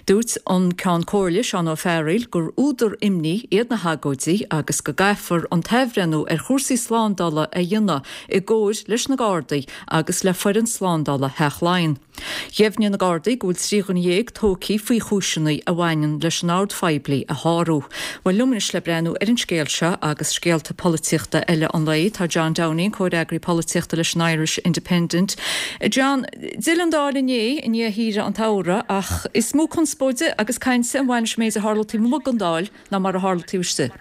Dúirt an Ceann Comhairle, Seán Ó Fearghaíl, gur údar imní iad na hagóidí agus go gcaithfear an t-athbhreithniú ar chúrsaí slándála a dhéanamh i gcomhar leis na Gardaí agus le foireann slándála Theach Laighean. Dheimhnigh na Gardaí go bhfuil trí dhuine dhéag tógtha faoi chúiseanna a bhaineann leis an ord phoiblí a shárú. Bhuel, liom anois le breathnú ar an scéal seo agus scéalta polaitíochta eile an lae, tá John Downing, comhfhreagraí polaitíochta leis an Irish Independent. John, d'fhill an Dáil inné i ndiaidh shaoire an tsamhraidh ach is mó conspóide agus cainte a bhain leis an méid a tharla taobh amuigh den Dáil ná mar a tharla taobh istigh.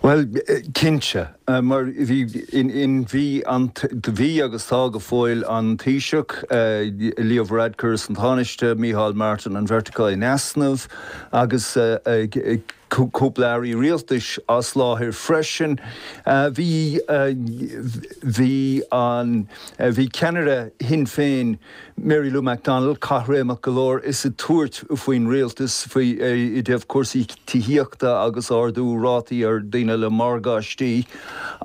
Bhuel, cinnte, mar bhí in bhí an bhí agus tá go fóill an Taoiseach, Leo Varadkar is an Tánaiste, Micheál Martin, an bheirt acu in easnamh agus cúpla airí rialtais as láthair freisin. Bhí bhí an bhí ceannaire Shinn Féin, Mary Lou McDonald, caithréimeach go leor is ag tabhairt faoin rialtas faoi i dtaobh cúrsaí tithíochta agus ardú rátaí ar daoine le morgáistí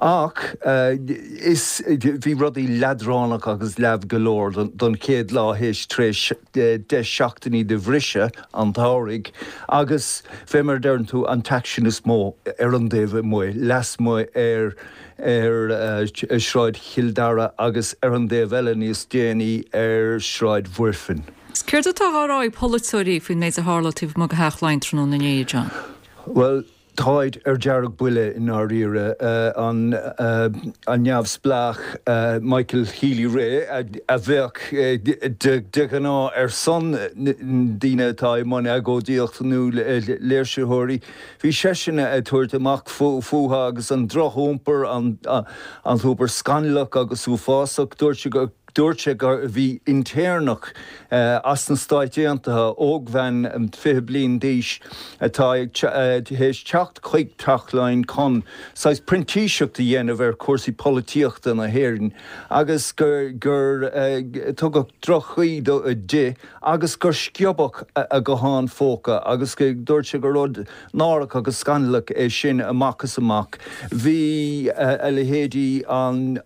ach is bhí rudaí leadránach agus leamh go leor don chéad lá théis tar éis deich seachtainí de bhriseadh an tsamhraidh agus fé mar a deireann tú an t-aicsean is mó ar an dtaobh amuigh, lasmuigh ar ar Shráid Chill Dara agus ar an dtaobh eile níos déanaí ar Shráid Mhuirfean. Céard atá á rá ag polaiteoirí faoin méid a tharla taobh amuigh de Theach Laighean tráthnóna inné, John? Bhuel, táid ar deargbhuile i ndáiríre. An neamhspleách Michael Healy-Rae, a bheadh de ghnáth ar son daoine atá i mbun agóidíocht nó léirsitheoirí, bhí seisean ag tabhairt amach fúthu agus an drochiompar, an t-iompar scannalach agus uafásach. Dúirt sé go. Dúirt sé gur bhí intéirneach as na Stáit Aontaithe, ógbhean fiche bliain d'aois, atá théis teacht chuig Teach Laighean chun saghas printíseacht a dhéanamh ar chúrsaí polaitíochta na hÉireann agus gur tugadh droch-chaoi di agus gur sciobadh a guthán phóca agus dúirt sé gur rud náireach agus scannalach é sin amach is amach. Bhí a leithéidí an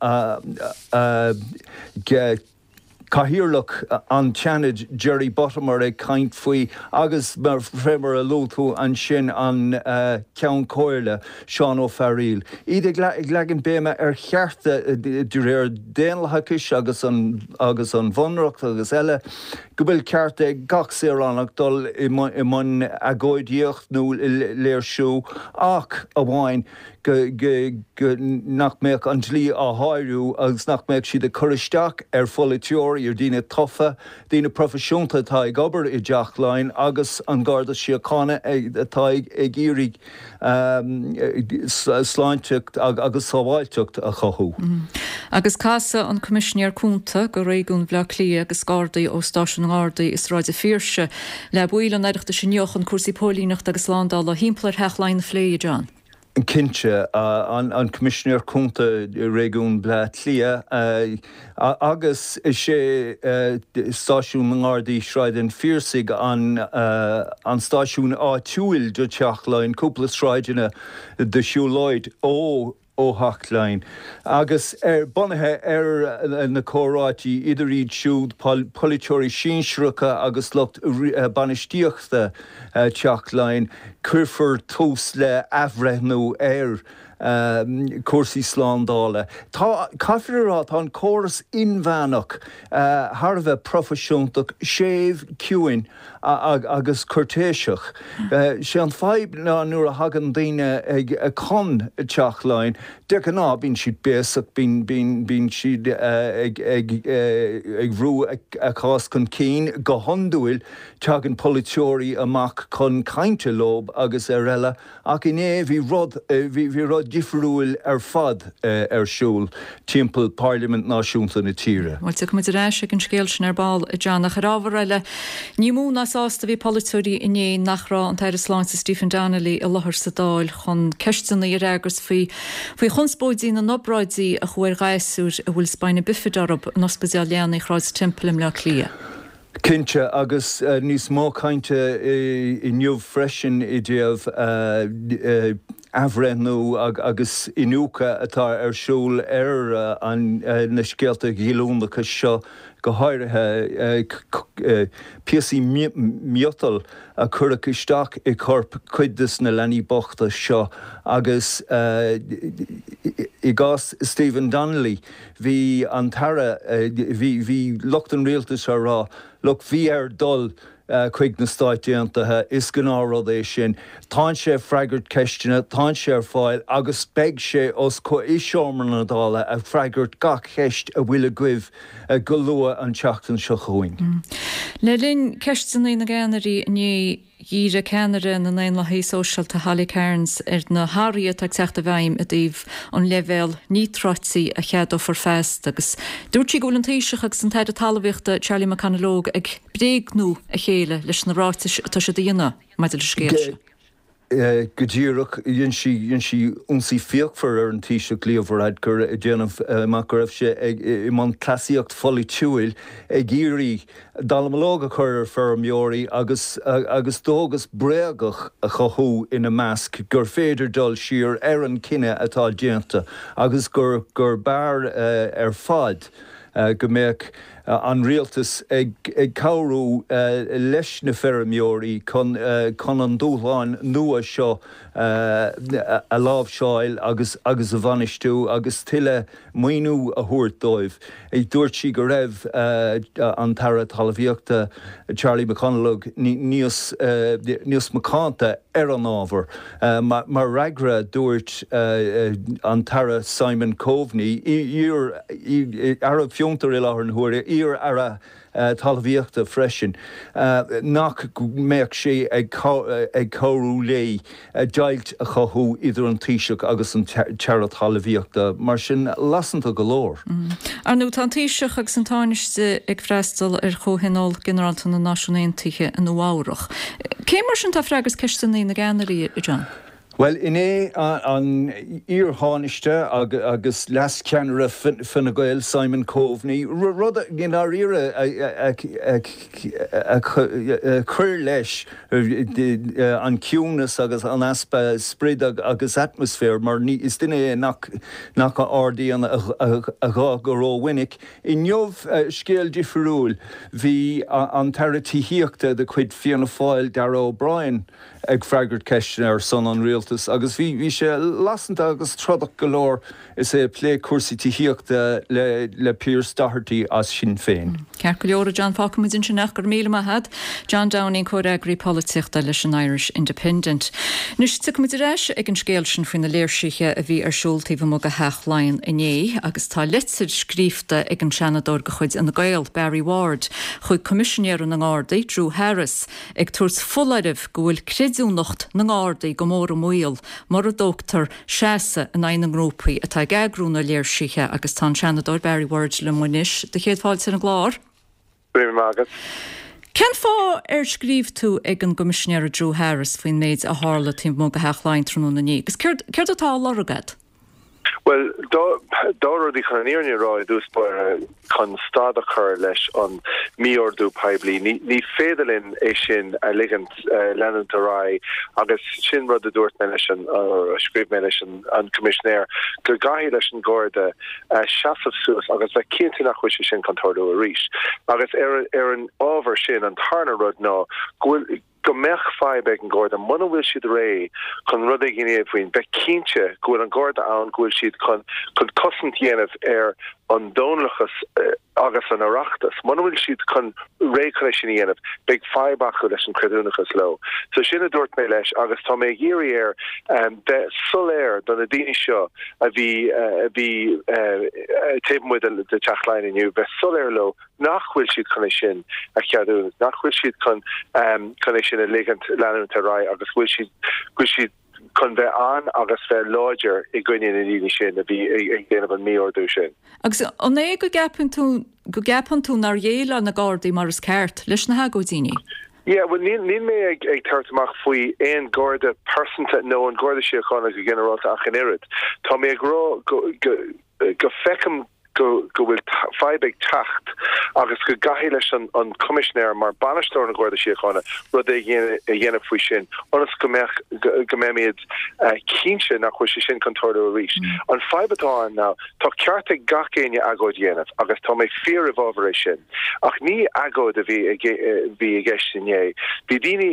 Cathaoirleach an tSeanaid Jerry Buttimer ag caint faoi agus fé mar a luaigh tú ansin an Ceann Comhairle Seán Ó Fearghaíl, iad ag leagan béime ar chearta de réir daonlathachais agus an agus an Bhunreacht agus eile go bhfuil ceart ag gach saoránach dul i mbun agóidíocht nó léirsiú ach amháin go nach mbeadh an dlí á shárú agus nach mbeadh siad ag cur isteach ar pholaiteoirí, ar dhaoine tofa, daoine proifisiúnta atá ag obair i dTeach Laighean agus an Garda Síochána atá ag iarraidh sláinteacht agus sábháilteacht a chothú. Agus casfaidh an Coimisinéir Cúnta do Réigiún Bhaile Átha Cliath agus Gardaí ó Stáisiún na nGardaí i Sráid an Phiarsaigh le baill an Oireachtais inniu chun cúrsaí póilíneachta agus slándála thimpeall ar Theach Laighean a phlé, a John. Cinnte, an Coimisinéir Cúnta i Réigiún Bhaile Átha Cliath agus is é Stáisiún na nGardaí Sráid an Phiarsaigh an stáisiún áitiúil do Theach Laighean, cúpla sráideanna de shiúlóid ó ó Theach Laighean, agus bunaithe ar na comhráití idir iad siúd, polaiteoirí sinsearacha agus lucht bainistíochta Theach Laighean, cuirfear tús le athbhreithniú ar chúrsaí slándála. Tá, caithfear a rá, tá an córas inmheánach thar a bheith proifisiúnta, séimh, ciúin agus cúirtéiseach. Sé an fadhb ná nuair a thagann daoine ag chun Teach Laighean, de ghnáth bíonn siad béasach, bíonn bíonn siad ag ag ag bhrú a cás chun cinn. Go hiondúil tagann polaiteoirí amach chun cainte leo agus ar eile ach inné bhí rud bhí bhí rud difriúil ar fad ar siúl timpeall Pairlimint Náisiúnta na tíre. Bhuel, tiocfaidh muid ar ais ag an scéal sin ar ball, a John, ach ar ábhar eile, ní mó ná sásta a bhí polaiteoirí inné nach raibh an tAire Sláinte Stephen Donnelly i láthair sa Dáil chun ceisteanna a fhreagairt faoi faoi chonspóidí na n-obráidí a chuaigh ar ghasúir a bhfuil spina bifida orthu in Ospidéal Leanaí Shráid Temple i mBleá Cliath. Cinnte, agus níos mó cainte inniu freisin i dtaobh athbhreithniú agus iniúchadh atá ar siúl ar na scéalta goilliúnacha seo, go háirithe píosaí miotail a cuireadh isteach i gcorp cuid de na leanaí bochta seo agus i gcás Stephen Donnelly, bhí an tAire, bhí lucht an rialtais á rá, look, bhí air dul chuig na Stáit Aontaithe, is gnáthrud é sin. Tá sé ag freagairt ceisteanna, tá sé ar fáil agus beidh sé os i seomra na Dála ag freagairt gach ceist a bhfuil agaibh go luath an tseachtain seo chugainn. Le linn ceisteanna na gceannairí inné, dhírigh ceannaire na nDaonlathaithe Sóisialta Holly Cairns ar na hathruithe atá ag teacht i bhfeidhm i dtaobh an leibhéal níotráití a cheadófar feasta agus dúirt sí go bhfuil an Taoiseach agus an tAire Talmhaíochta Charlie McConalogue ag bréagnú a chéile leis na ráitis atá siad a dhéanamh maidir leis an scéal seo. Go díreach, dhein sí dhein sí ionsaí fíochmhar ar an Taoiseach Leo Varadkar ag déanamh amach go raibh sé ag i mbun cleasaíocht pholaitiúil ag iarraidh dallamullóg a chur ar feirmeoirí agus agus dóchas bréagach a chothú ina measc gur féidir dul siar ar an cinneadh atá déanta agus gur gur b'fhearr ar fad go mbeadh an rialtas ag cabhrú leis na feirmeoirí chun chun an dúshlán nua seo a láimhseáil agus agus a bhainistiú agus tuilleadh maoiniú a thabhairt dóibh. Dúirt sí go raibh an tAire Talmhaíochta Charlie McConalogue níos níos macánta ar an ábhar. Mar fhreagra dúirt an tAire Simon Coveney, iar-Aire Fiontar i láthair na huaire, iar-Aire Talmhaíochta freisin, nach mbeadh sé ag cabhrú léi deighilt a chothú idir an Taoiseach agus an tAire Talmhaíochta. Mar sin, lasanta go leor. Ar ndóigh, tá an Taoiseach agus an Tánaiste ag freastal ar Chomhthionól Ginearálta na Náisiún Aontaithe i Nua-Eabhrac. Cé mar sin atá ag freagairt ceisteanna na gceannairí, a John? Bhuel, inné an iar-Thánaiste agus leascheannaire Fine Gael, Simon Coveney, rud i ndáiríre a chuir leis an ciúnas agus an easpa spride agus atmaisféir, mar is duine é nach ardaíonn a ghuth go rómhinic. Inniu, scéal difriúil, bhí an tAire Tithíochta de chuid Fianna Fáil, Darragh O'Brien, ag freagairt ceisteanna ar son an rialtais agus bhí bhí sé lasanta agus trodach go leor is é ag plé cúrsaí tithíochta le le Pearse Doherty as Sinn Féin. Ceart go leor, a John, fágfaidh muid ansin é, go raibh míle maith agat. John Downing, comhfhreagraí polaitíochta leis an Irish Independent. Anois tiocfaidh muid ar ais ag an scéal sin faoi na léirsithe a bhí ar siúl taobh amuigh de Theach Laighean inné agus tá litir scríofa ag an Seanadóir de chuid Fhine Gael, Barry Ward, chuig Coimisinéir na nGardaí, Drew Harris, ag tabhairt foláireamh go bhfuil creidiúnacht na nGardaí go mór i mbaol mura dtógtar seasamh in aghaidh na ngrúpaí atá ag eagrú na léirsithe agus tá an Seanadóir Barry Ward liom anois. Do chéad fáilte ar an gclár. Go raibh maith agat. Cén fáth ar scríobh tú ag an gCoimisinéir Drew Harris faoin méid a tharla taobh amuigh de Theach Laighean tráthnóna inné agus céard céard atá á lorg agat? Bhuel, dá rudaí chun an fhírinne a rá i dtús báire chun stad a chur leis an mí-ordú poiblí. Ní féidir linn é sin a ligint leanúint ar aghaidh agus sin rud a dúirt mé leis an, a scríobh mé leis an Coimisinéir, go gcaithfidh leis an Garda seasamh suas agus bheith cinnte nach bhfuil sé sin chun tarlú arís. Agus ar ar an ábhar sin, an tarna rud ná go bhfuil, go mbeadh fadhb ag an Gharda muna bhfuil siad réidh chun rud éigin a dhéanamh faoin, bheith cinnte go bhfuil an Garda ann, go bhfuil siad chun chun cosaint a dhéanamh ar an Daonlathas agus an Oireachtas. Muna bhfuil siad chun réidh chun é sin a dhéanamh, beidh fadhb acu leis an creidiúnachas leo. So sin a dúirt mé leis agus tá mé ag iarraidh air bheith soiléir do na daoine seo a bhí a bhí taobh amuigh de Teach Laighean inniu, bheith soiléir leo nach bhfuil siad chun é sin a cheadú, nach bhfuil siad chun chun é sin a ligint leanúint ar aghaidh agus go bhfuil siad go bhfuil siad chun bheith ann agus bheith láidir i gcoinne na ndaoine sin a bhí ag déanamh an mí-ordú sin. Agus an é go gceapann tú go gceapann tú nár dhéileáil na Gardaí mar is ceart leis na hagóidíní? Yeah, well níl níl mé ag ag tabhairt amach faoi aon Garda pearsanta nó an Garda Síochána go ginearálta ach an oiread. Tá mé ag rá go go go feicim go go bhfuil fadhb ag teacht agus go gcaithfidh leis an an Coimisinéir mar bainisteoir na Garda Síochána rud éigin a dhéanamh faoi sin ionas go mbeadh go mbeimid cinnte nach bhfuil sé sin chun tarlú arís. An fadhb atá ann ná tá ceart ag gach éinne agóid a dhéanamh agus tá mé fíor i bhfabhar é sin ach ní agóid a bhí bhí i gceist inné. Bhí daoine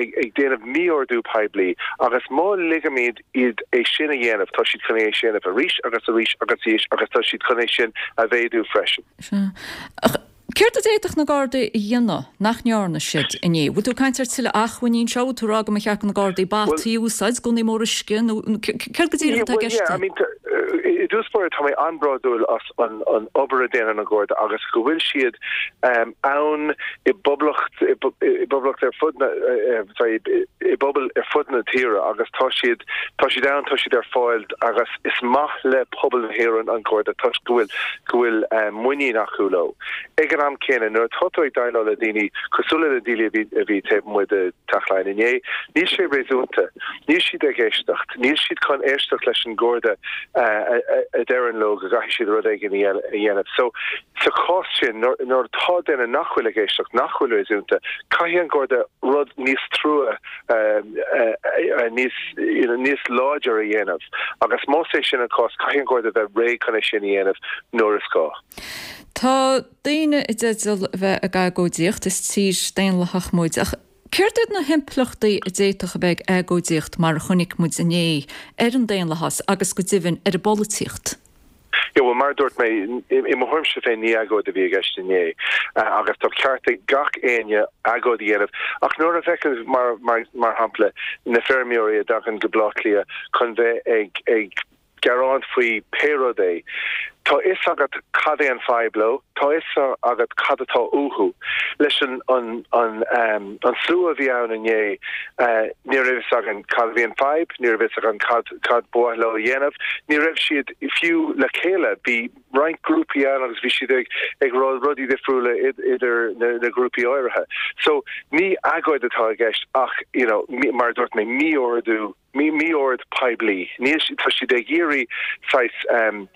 ag déanamh mí-ordú poiblí agus má ligimid iad é sin a dhéanamh, tá siad chun é sin a dhéanamh arís agus arís agus arís agus tá siad chun é sin a mhéadú freisin. Sea. Ach céard a d'fhéadfadh na Gardaí a dhéanamh nach ndearna siad inné? Bhfuil tú ag caint ar tuilleadh acmhainní anseo? Bhfuil tú ag rá go mba cheart do na Gardaí bataí a úsáid, gunnaí móra uisce nó céard go díreach atá i gceist? Yeah, I mean, i dtús báire tá mé an-bhródúil as an an obair a déanann an Garda agus go bhfuil siad ann i bpoblacht i bpoblacht ar fud na sorry i bpobail ar fud na tíre agus tá siad tá siad ann tá siad ar fáil agus is maith le pobal na hÉireann an Garda toisc go bhfuil go bhfuil muinín acu leo. Ag an am céanna nuair atá tú ag déileáil le daoine cosúil le na daoine a bhí a bhí taobh amuigh de Teach Laighean inné, níl sé réasúnta. Níl siad ag éisteacht. Níl siad chun éisteacht leis an Gharda a deireann leo go gcaithfidh siad rud éigin a dhéanamh. So, sa chás sin, nuair atá duine nach bhfuil ag éisteacht, nach bhfuil réasúnta, caithfidh an Garda rud níos trua, níos, you know, níos láidir a dhéanamh. Agus más é sin an cás, caithfidh an Garda bheith réidh chun é sin a dhéanamh nuair is gá. Tá daoine i dteideal a bheith ag agóidíocht, is tír daonlathach muid, ach céard iad na himpleachtaí a d'fhéadfadh a bheith ag agóidíocht mar a chonaic muid inné ar an daonlathas agus go deimhin ar an bpolaitíocht? Yeah, well mar a dúirt mé, i mo thuairimse féin ní agóid a bhí i gceist inné agus tá ceart ag gach éinne agóid a dhéanamh ach nuair a fheiceann mar mar mar shampla na feirmeoirí a dtagann go Baile Átha Cliath chun bheith ag ag gearán faoi pé rud é. Tá fhios agat cad é an fadhb leo, tá fhios agat cad atá uathu. Leis an an an an slua a bhí ann inné, ní raibh fhios againn cad a bhí an fadhb, ní raibh fhios againn cad cad ba mhaith leo a dhéanamh, ní raibh siad fiú le chéile, bhí roinnt grúpaí ann agus bhí siad ag ag rá rudaí difriúla idir na na grúpaí áirithe. So ní agóid atá i gceist ach you know mar a dúirt mé mí-ordú mí-ord poiblí. Níl siad, tá siad ag iarraidh saghas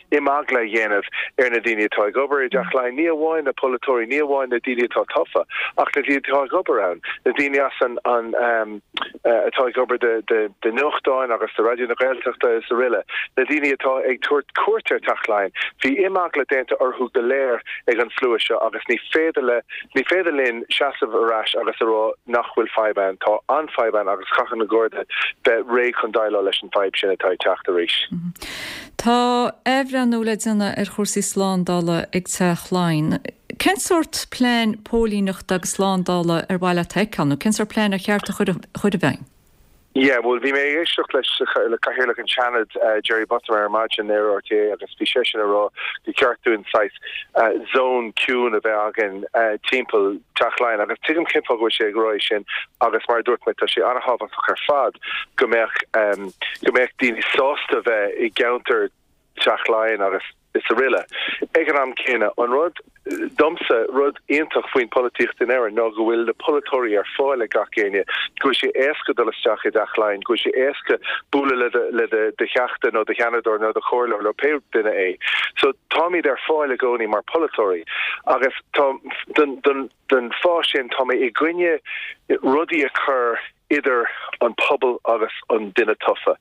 imeagla a dhéanamh ar na daoine atá ag obair i dTeach Laighean, ní amháin na polaiteoirí, ní amháin na daoine atá tofa, ach na daoine atá ag obair ann, na daoine as an, an, atá ag obair do, do, do nuachtáin agus do Raidió na Gaeltachta is aroile, na daoine atá ag tabhairt cuairt ar Teach Laighean. Bhí imeagla déanta orthu go léir ag an slua seo agus ní féidir le, Ní féidir linn seasamh ar ais agus a rá nach bhfuil fadhb ann. Tá an-fhadhb ann agus caithfidh na Gardaí bheith réidh chun déileáil leis an bhfadhb sin atá ag teacht arís. Tá athbhreithniú le déanamh ar chúrsaí slándála ag Teach Laighean. Cén sórt plean póilíneachta agus slándála ar mhaith leat a fheiceáil nó cén sórt plean ar cheart a chur i bhfeidhm? Yeah, bhuel, bhí mé ag éisteacht leis le Cathaoirleach an tSeanaid, Jerry Buttimer ar maidin ar RTÉ agus bhí seisean ag rá gur cheart dúinn saghas zone ciúin a bheith againn timpeall Teach Laighean agus tuigim cén fáth go bhfuil sé ag rá é sin agus mar a dúirt mé tá sé an-thábhachtach ar fad go mbeadh go mbeadh daoine sásta bheith i gceantar Teach Laighean agus is aroile. Ag an am céanna, an rud, domsa, rud iontach faoin polaitíocht in Éirinn ná go bhfuil na polaiteoirí ar fáil ag gach éinne, go bhfuil sé éasca dul isteach i dTeach Laighean, go bhfuil sé éasca bualadh le do, le do, do theachta nó do sheanadóir nó do chomhairleoir nó pé duine é. So táimid ar fáil i gcónaí mar pholaiteoirí agus tá, don, don, don fáth sin tá mé i gcoinne rudaí a chur idir an pobal agus an duine tofa,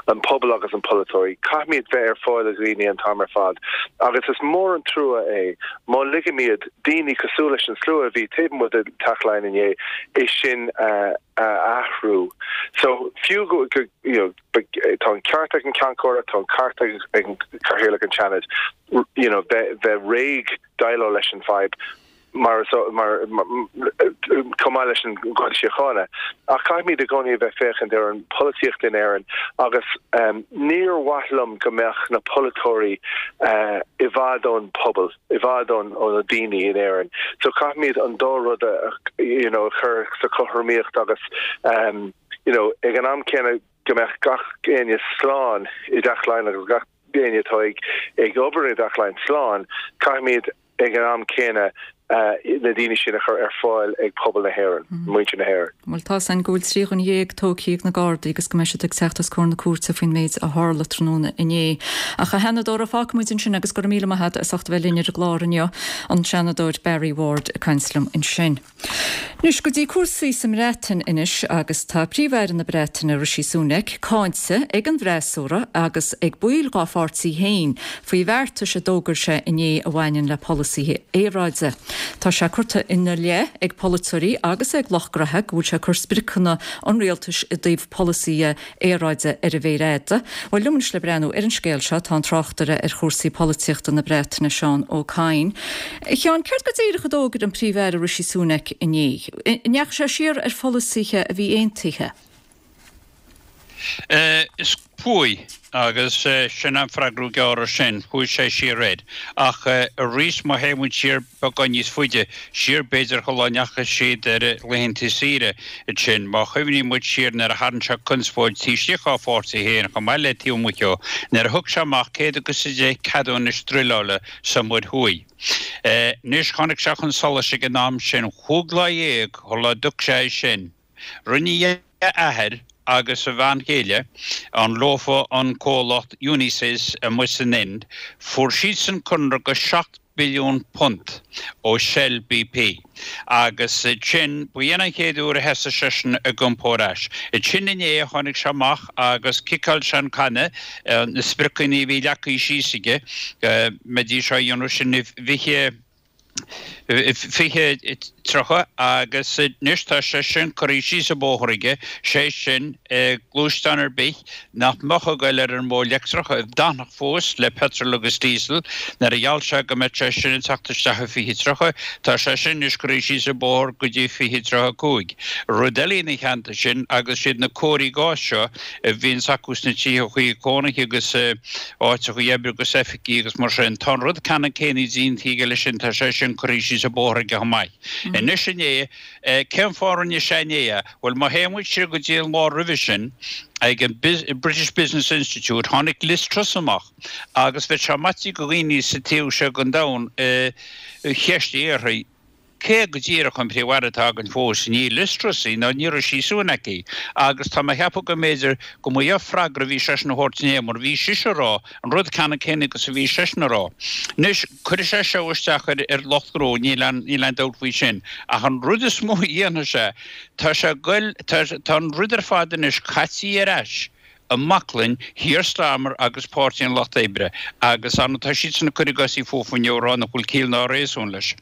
an pobal agus an polaiteoirí. Caithfimid bheith ar fáil do dhaoine an t-am ar fad agus is mór an trua é má ligimid daoine cosúil leis an slua a bhí taobh amuigh de Teach Laighean inné é sin a athrú. So fiú go, you know, tá an ceart ag an Ceann Comhairle, tá an ceart ag an Cathaoirleach an tSeanaid, you know, bheith bheith réidh déileáil leis an fadhb. mar mar chomh maith leis an Gharda Síochána. Ach caithfimid i gcónaí a bheith féachaint ar an polaitíocht in Éirinn agus níor mhaith liom go mbeadh na polaiteoirí i bhfad ón pobal, i bhfad ón ó na daoine in Éirinn. So caithfimid an dá rud a you know a chur sa chothromaíocht agus you know ag an am céanna go mbeadh gach éinne slán i dTeach Laighean agus gach éinne atá ag ag obair i dTeach Laighean slán, caithfimid ag an am céanna na daoine sin a chur ar fáil ag pobal na hÉireann, muintir na hÉireann. Bhuel, tá a fhios againn go bhfuil trí dhuine dhéag tógtha ag na Gardaí agus go mbeidh siad ag teacht os comhair na cúirte faoin méid a tharla tráthnóna inné. Ach a Sheanadóra, fágfaidh muid ansin agus go raibh míle maith agat as ucht a bheith linn ar an gclár inniu, an Seanadóir Barry Ward ag caint liom ansin. Anois go dtí cúrsaí sa mBreatain anois agus tá Príomh-Aire na Breataine Rishi Sunak cáinte ag an bhfreasúra agus ag baill dá pháirtí féin faoi bheartais a d'fhógair sé inné a bhaineann le polasaithe aeráide. Tá sé curtha ina leith ag polaiteoirí agus ag lucht graithe go bhfuil sé ag cur spriocanna an rialtais i dtaobh polasaithe aeráide ar an mhéar fhada. Bhuel, liom anois le breathnú ar an scéal seo tá an tráchtaire ar chúrsaí polaitíochta na Breataine, Seán Ó Cadhain. A Sheáin, céard go díreach a d'fhógair an Príomh-Aire Rishi Sunak inné? An ndeachaigh sé siar ar pholasaithe a bhí aontaithe? Is chuaigh, agus sin an freagra gearr ar sin, chuaigh sé siar air. Ach arís, má théann muid siar beagán níos faide, siar b'fhéidir shula ndeachaigh siad ar laethanta saoire ansin, má chuimhníonn muid siar nuair a tharraing sé conspóid taobh istigh dá pháirtí féin chomh maith le taobh amuigh dhó, nuair a thug sé amach céad agus a deich ceadúnais druileála sa Mhuir Thuaidh. Anois, tháinig sé chun solais ag an am sin, chúig lá dhéag shula dtug sé é sin. Rinne a athair agus a bhean chéile, an leofa an comhlacht Unisys amuigh san Ind, fuair siadsan conradh go seacht billiún punt ó Shell BP agus sin, ba in an chéad uair a thosaigh seisean ag iompó ar ais. Ansin inné tháinig sé amach agus ciceáil sé an canna, na spriocanna a bhí leagtha síos aige go mbeidís á dhéanamh sin i bhfiche, fiche tríocha agus anois tá sé sin curtha síos an bóthar aige, sé sin gluaisteán ar bith nach mbeadh ag goil ar an modh leictreach, a d'fhanfadh fós le petrol agus diesel, nuair a gheall sé go mbeadh sé sin ag teacht isteach i fiche tríocha, tá sé sin anois curtha síos an bóthar go dtí fiche tríocha cúig. Rud eile ina theannta sin agus siad na cóirí gáis seo a bhíonns acu sna tithe cónaithe agus áiteacha oibre agus oifigí agus mar sin, tá an rud ceannann céanna déanta aige leis sin, tá sé sin curtha síos an bóthar aige chomh maith. Anois inné, cén fáth a rinne sé inné é? Bhuel, má théann muid siar go dtí an lá roimhe sin, ag an British Business Institute, tháinig Liz Truss amach agus bheadh sé maite go dhaoine sa taobh seo den domhan cheistigh uirthi, Cé go díreach an Príomh-Aire atá againn fós, ní Liz Truss í ná ní Rishi Sunak í, agus tá mé a cheapadh go mb'fhéidir go mba í an freagra a bhí seisean a thabhairt inné, mar bhí sise a rá an rud ceannann céanna agus a bhí seisean a rá. Anois, cuirfidh sé seo isteach ar ar lucht gnó, níl aon níl aon dabht faoi sin, ach an rud is mó a dhéanfaidh sé, tá sé ag goil, tá tá an rud ar fad anois caite ar ais i mbaclainn Keir Starmer agus Páirtí an Lucht Oibre, agus ar ndóigh tá siadsan ag cur a gcosaí fúthu inniu ag rá nach bhfuil ciall ná réasún leis.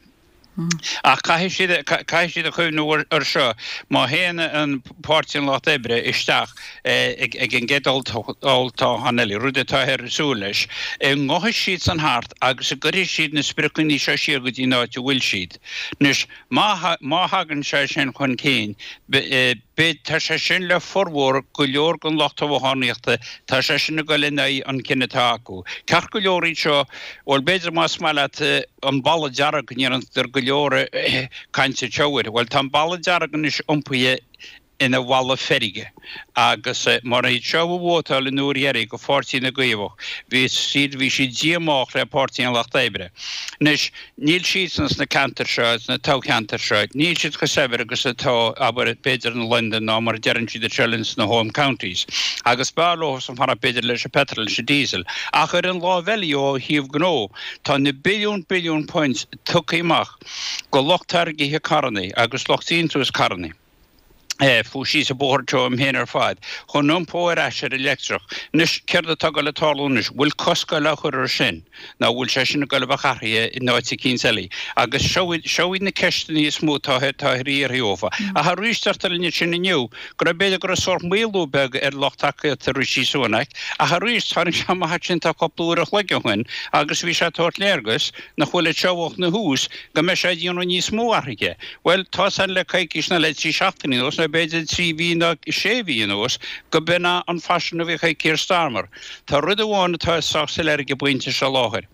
Ach caithfidh siad, caithfidh siad a chuimhniú ar seo, má théann an Páirtí an Lucht Oibre isteach ag an gcéad olltoghchán eile, rud atáthar ag súil leis, an ngabhfaidh siadsan thart agus an gcuirfidh siad na spriocanna seo siar go dtí an áit a bhfuil siad. Anois, má, má thagann sé sin chun cinn, Beidh, tá sé sin le formhór go leor den lucht toghchánaíochta, tá sé sin ag dul in aghaidh an cinn atá acu. Ceart go leor iad seo, bhuel b'fhéidir más maith leat an balla dearg, go ndéantar go leor cainte anseo air. Bhuel tá an balla dearg anois iompaithe ina bhalla feirge agus mar iad seo a vótáil an uair dheiridh go Pháirtí na gCaomhach, bhí siad, bhí siad díomách le Páirtí an Lucht Oibre. Anois, Níl siadsan sna ceantair seo, sna toghcheantair seo, níl siad chomh saibhir agus atá, abair, b'fhéidir in Londain ná mar a deireann siad anseo linn sna home counties. Agus b'fhearr leosan fanacht b'fhéidir leis an petrol, leis an diesel. Ach ar an láimh eile ó thaobh gnó, tá na billiún billiún punt tugtha amach go lucht táirgithe carrannaí agus lucht déantús carrannaí. Fuair síos an bóthar seo uaim féin ar fad, chun iompó ar ais ar an leictreach. Anois, céard atá ag dul ag tarlú anois? Bhfuil cosc ag dul á chur air sin? Nó bhfuil sé sin ag dul a bheith athraithe in áit eicínt eile? Agus seo iad, seo iad na ceisteanna is mó atá, atá ar iarraidh dhófa. Ach arís, deirtear linn ansin inniu go raibh, b'fhéidir go raibh sórt maolú beag ar lucht tacaíochta Rishi Sunak, ach arís, tháinig sé amach ansin tá cúpla uair a chloig ó shin agus bhí sé ag tabhairt léargas nach bhfuil anseo óna thús go mbeidh sé ag déanamh níos mó athraithe. Bhuel, tá san le coicís nó le trí seachtainí anuas, nó b'fhéidir trí mhí nó sé mhí anuas, go b'in é an faisean a bheadh ag Keir Starmer. Tá rud amháin atá sách soiléir ag an bpointe seo láthair.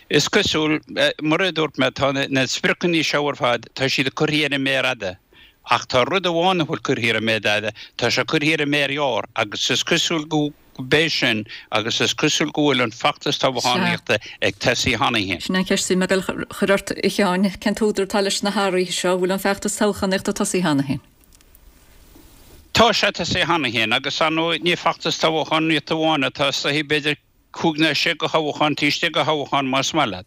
Is cosúil, mar a dúirt mé, tá na spriocanna seo ar fad, tá siad curtha ar an méar fhada. Ach tá rud amháin a bhfuil curtha ar an méar fhada, tá sé curtha ar an méar ghearr agus is cosúil go b'é sin agus is cosúil go bhfuil an feachtas toghchánaíochta ag tosaí cheana féin. Sin an cheist a bhí mé ag dul a chur ort, a Sheáin, cén t-údar atá leis na hathruithe seo, an bhfuil an feachtas toghchánaíochta tosaithe cheana féin? Tá sé tosaithe cheana féin agus ar ndóigh ní feachtas toghchánaíochta amháin atá tosaithe, b'fhéidir cúig nó sé de thoghchán taobh istigh de thoghchán más maith leat.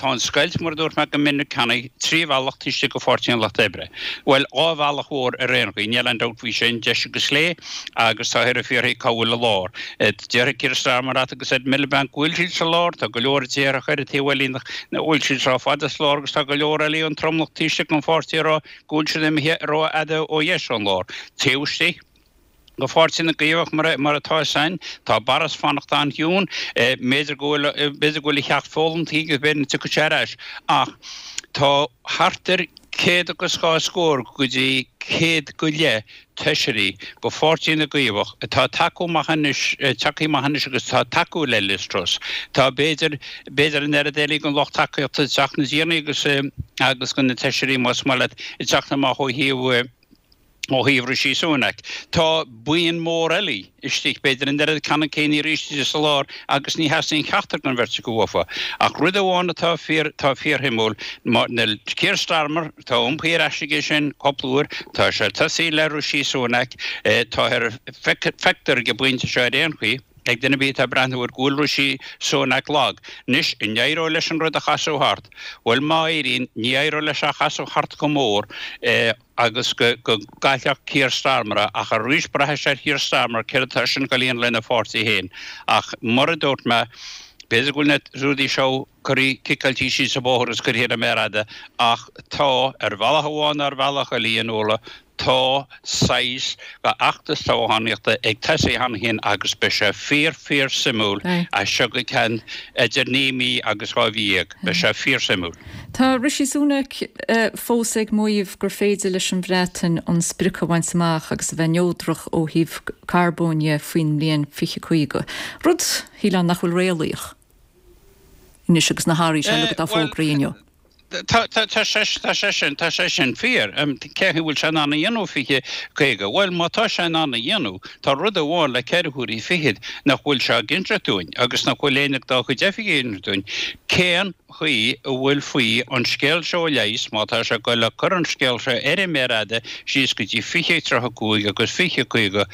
Tá an scoilt, mar a dúirt mé go minic cheana, trí bhealach taobh istigh de Pháirtí an Lucht Oibre. Bhuel, dhá bhealach mhór ar aon chaoi, níl aon dabht faoi sin, deis agus clé, agus táthar ag fiafraí cá bhfuil an lár. Déarfaidh Keir Starmer leat agus Ed Miliband go bhfuil siad sa lár, tá go leor a déarfadh ar an taobh eile nach bhfuil siad rófhada sa lár agus tá go leor eile an tromlach taobh istigh den pháirtí ag rá go bhfuil siad imithe rófhada ó dheis ón lár. Taobh istigh de Pháirtí na gCaomhach mar atá san, tá Boris fanacht an-chiúin, b'fhéidir go bhfuil, b'fhéidir go bhfuil a cheacht foghlamtha aige agus b'fhéidir go dtiocfaidh sé ar ais. Ach tá thart ar céad agus dhá scór go dtí céad go leith feisirí de Pháirtí na gCaomhach atá ag tacú amach anois, tagtha amach anois agus atá ag tacú le Liz Truss. Tá b'fhéidir, b'fhéidir an oiread eile den lucht tacaíochta ag teacht na déanaí agus, agus de na feisirí más maith leat, ag teacht amach ó thaobh, ó thaobh Rishi Sunak. Tá buíon mór eile istigh, b'fhéidir an oiread ceannann céanna arís istigh sa lár agus ní theastaíonn ceachtar den bheirt acu uafa. Ach rud amháin atá fíor, atá fíorshuimiúil, níl Keir Starmer, tá iompaithe ar ais aige sin cúpla uair, tá sé tosaithe le Rishi Sunak, tá ar, feictear ag an bpointe seo ar aon chaoi, ag duine ar bith atá ag breathnú air go bhfuil Rishi Sunak lag. Anois, an éireoidh leis an rud a chasadh thart? Bhuel, má éiríonn, ní éireoidh leis é a chasadh thart chomh mór agus go gcaillfeadh Keir Starmer é, ach arís braithfidh sé ar Keir Starmer céard atá eisean ag dul a dhéanamh lena pháirtí féin. Ach mar a dúirt mé, b'fhéidir go bhfuil na rudaí seo curtha, ciceáilte síos an bóthar agus curtha ar an méar fhada, ach tá, ar bhealach amháin nó ar bhealach eile, a Fhionnuala, Tá saghas d'fheachtas toghchánaíochta ag tosaí cheana féin agus beidh sé fíor fíor suimiúil as seo go ceann idir naoi mí agus dhá mhí dhéag. Beidh sé fíor suimiúil. Tá Rishi Sunak fós ag maíomh gur féidir leis an Bhreatain an sprioc a bhaint amach agus a bheith neodrach ó thaobh carbóin dhe faoin mbliain fiche caoga, rud, shílfeá, nach bhfuil réalaíoch anois agus na hathruithe seo uilig atá fógraithe inniu. Tá sé sin, tá sé sin fíor. Cén chaoi a bhfuil sé in ann a dhéanamh fiche caoga? Bhuel, má tá sé in ann a dhéanamh, tá rud amháin le ceithre huaire fichead nach bhfuil sé ag inseacht dúinn agus nach bhfuil éinne dá chuid oifigigh ag inseacht dúinn, cén chaoi a bhfuil faoi an scéal seo a leigheas, má tá sé ag goil a cur an scéal seo ar an méar fhada síos go dtí fiche tríocha cúig agus fiche caoga,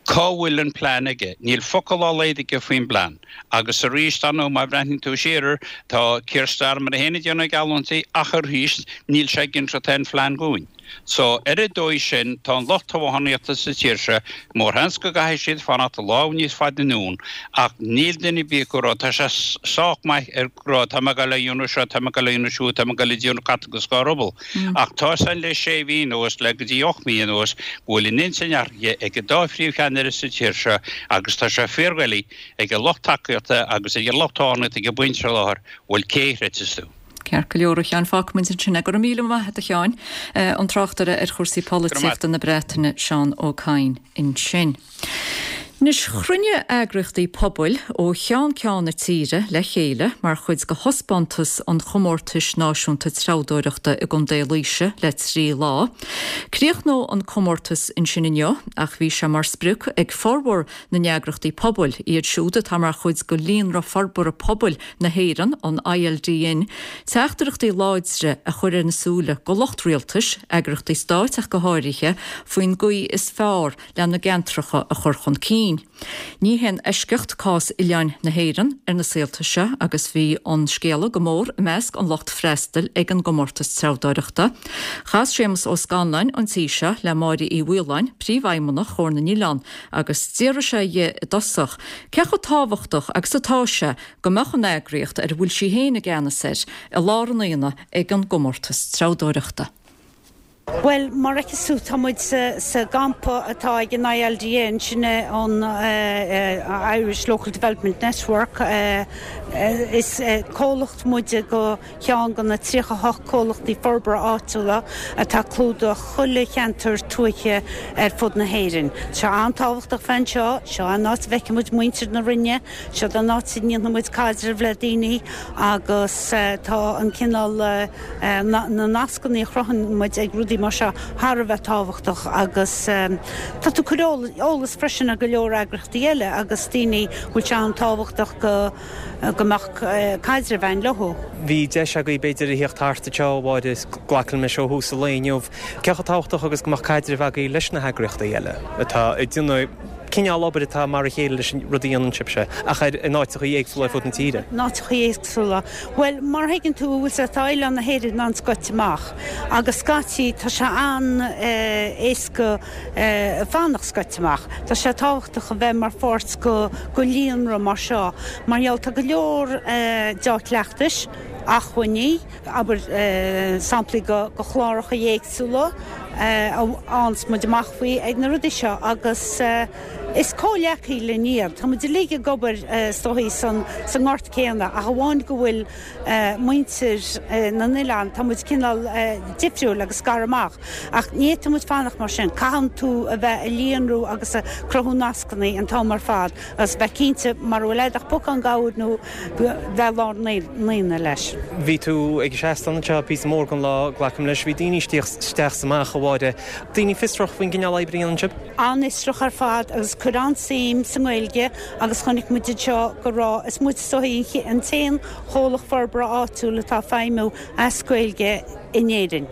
cá bhfuil an plean aige? Níl focal dá laghad aige faoin bplean. Agus arís, dar ndóigh, má bhreathnaíonn tú siar air, tá Keir Starmer é féin ag déanamh geallúintí, ach arís, níl sé ag inseacht aon phlean dhúinn. So, ar an dóigh sin, tá an lucht toghchánaíochta sa tír seo, mórsheans go gcaithfidh siad fanacht lá níos faide anonn, ach níl duine ar bith acu ag rá, tá sé sách maith ag rá, tá mé ag dul a dhéanamh seo, tá mé ag dul a dhéanamh siúd, tá mé ag dul a déanamh cat agus dhá ruball. Ach tá a fhios againn le sé mhí anuas, le go dtí ocht mí anuas, go bhfuil an intinn athraithe ag an dá phríomhcheannaire sa tír seo agus tá sé fíordhoiligh ag an lucht tacaíochta agus ag an lucht toghchánaíochta ag an bpointe seo i láthair, bhuel cé a chreidfeas tú? Ceart go leor, a Sheáin, fágfaimid ansin é. Go raibh míle maith agat, a Sheáin. An tráchtaire ar chúrsaí polaitíochta na Breataine, Seán Ó Cadhain, ansin. Anois, chruinnigh eagraíochtaí pobail ó cheann ceann na tíre le chéile mar chuid de thaispeántas an Chomórtais Náisiúnta Treabhdóireachta i gContae Laoise le trí lá. Críochnóidh an comórtas ansin inniu ach bhí sé mar sprioc ag formhór na n-eagraíochtaí pobail, iad siúd atá mar chuid de Líonra Forbartha Pobail na hÉireann, an I L D N, teachtaireachtaí láidre a chur ar na súile go lucht rialtais, eagraíochtaí stáit ach go háirithe, faoin gcaoi is fearr lena gceantracha a chur chun cinn. Ní haon eisceacht cás oileáin na hÉireann ar na saolta seo agus bhí an scéala go mór i measc an lucht freastail ag an gcomórtas treabhdóireachta. Chas Séamus Ó Scanláin an tí seo le Máire Uí Mhaoláin, Príomhfheidhmeannach Chomhar na nOileán, agus d'fhiafraigh sé dhi i dtosach cé chomh tábhachtach agus atá sé go mbeadh an eagraíocht ar a bhfuil sí féin i gceannas air i lár an aonaigh ag an gcomórtas treabhdóireachta. Bhuel, mar a fheiceas tú, tá muid sa gcampa atá ag an I L D N, sin é an Irish Local Development Network, Is comhlacht muide go cheann de na tríocha a hocht comhlachtaí forbartha áitiúla atá ag clúdach chuile cheantar tuaithe ar fud na hÉireann. Tá sé an-tábhachtach bheith anseo, seo an áit a bhfeiceann muid muintir na Rinne, seo an áit a ndéanann muid caidreamh le daoine agus tá an cineál na nascanna a chruthaíonn muid ag rudaí mar seo thar a bheith tábhachtach agus tá tú ag cur eolas freisin ar go leor eagraíochtaí eile agus daoine bhfuil sé an-tábhachtach go go mbeadh caidreamh againn leo. Bhí deis agaibh b'fhéidir a thíocht thart anseo, a Mháire, glacaim leis ó thús an lae inniu. Cé chomh tábhachtach agus go mbeadh caidreamh agaibh leis na heagraíochtaí eile atá ag déanamh cineál obair atá mar a chéile leis an rud a dhéanann sibhse, ach ar in áiteachaí éagsúla ar fud na tíre? In áiteachaí éagsúla. Bhuel, mar a thuigeann tú, bhfuil sé, tá oileán na hÉireann an-scoite amach agus scaití tá sé an-éasca fanacht scoite amach. Tá sé tábhachtach a bheith mar pháirt go go líonra mar seo mar gheall tá go leor dea-chleachtais, acmhainní, abair samplaí go go chláracha éagsúla a fhaigheanns muid amach faoi ag na rudaí seo agus is comhghleacaithe linn iad. Tá muid uilig ag obair is dóichí san sa ngort céanna ach amháin go bhfuil muintir na n-oileán, tá muid cineál difriúil agus scartha amach ach ní fhéadfadh muid fanacht mar sin. Caitheann tú a bheith ag líonrú agus ag cruthú nascanna an t-am ar fad agus bheith cinnte mara bhfuil a'd ach pocán gabhair nó bheith i lár an aonaigh leis. Bhí tú ag an seastán anseo píosa mór den lá, glacaim leis. Bhí daoine isteach is amach, a Mháire. Daoine fiosrach faoin gcineál oibre a dhéanann sibh? An-fhiosrach ar fad agus ag cur an-suim sa nGaeilge agus chonaic muid anseo go raibh, is muid is dóichí an t-aon chomhlacht forbartha áitiúil atá ag feidhmiú as Gaeilge in Éirinn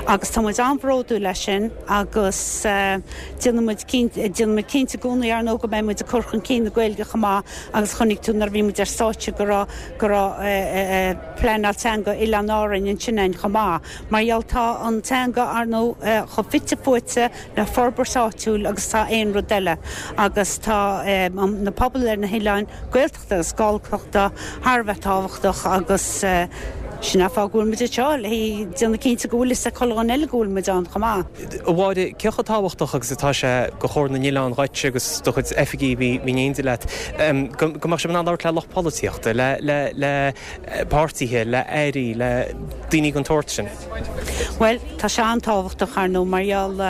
agus tá muid an-bhródúil as sin agus déanann muid cinnte, déanann muid cinnte i gcónaí ar ndóigh go mbeidh muid ag cur chun cinn na Gaeilge chomh maith agus chonaic tú nuair a bhí muid ar stáitse go raibh, go raibh pleanáil teanga Oileáin Árainn ansin ann chomh maith mar gheall tá an teanga ar ndóigh chomh fite fuaite le forbairt áitiúil agus tá aon rud eile agus tá na pobail ar na hoileáin, Gaeltachta agus Galltachta thar a bheith tábhachtach agus sin an fáth go bhfuil muid anseo, le déanamh cinnte go bhfuil fhios ag chuile dhuine eile go bhfuil muid ann chomh maith. A Mháire, cé chomh tábhachtach agus atá sé do Chomhar na nOileán dhuit agus do chuid oifigí a bhí in éindí leat, go mbeadh sibh in ann labhairt le lucht polaitíochta, le le le páirtithe, le airí, le daoine den tsórt sin? Bhuel, tá sé an-tábhachtach, ar ndóigh, mar gheall,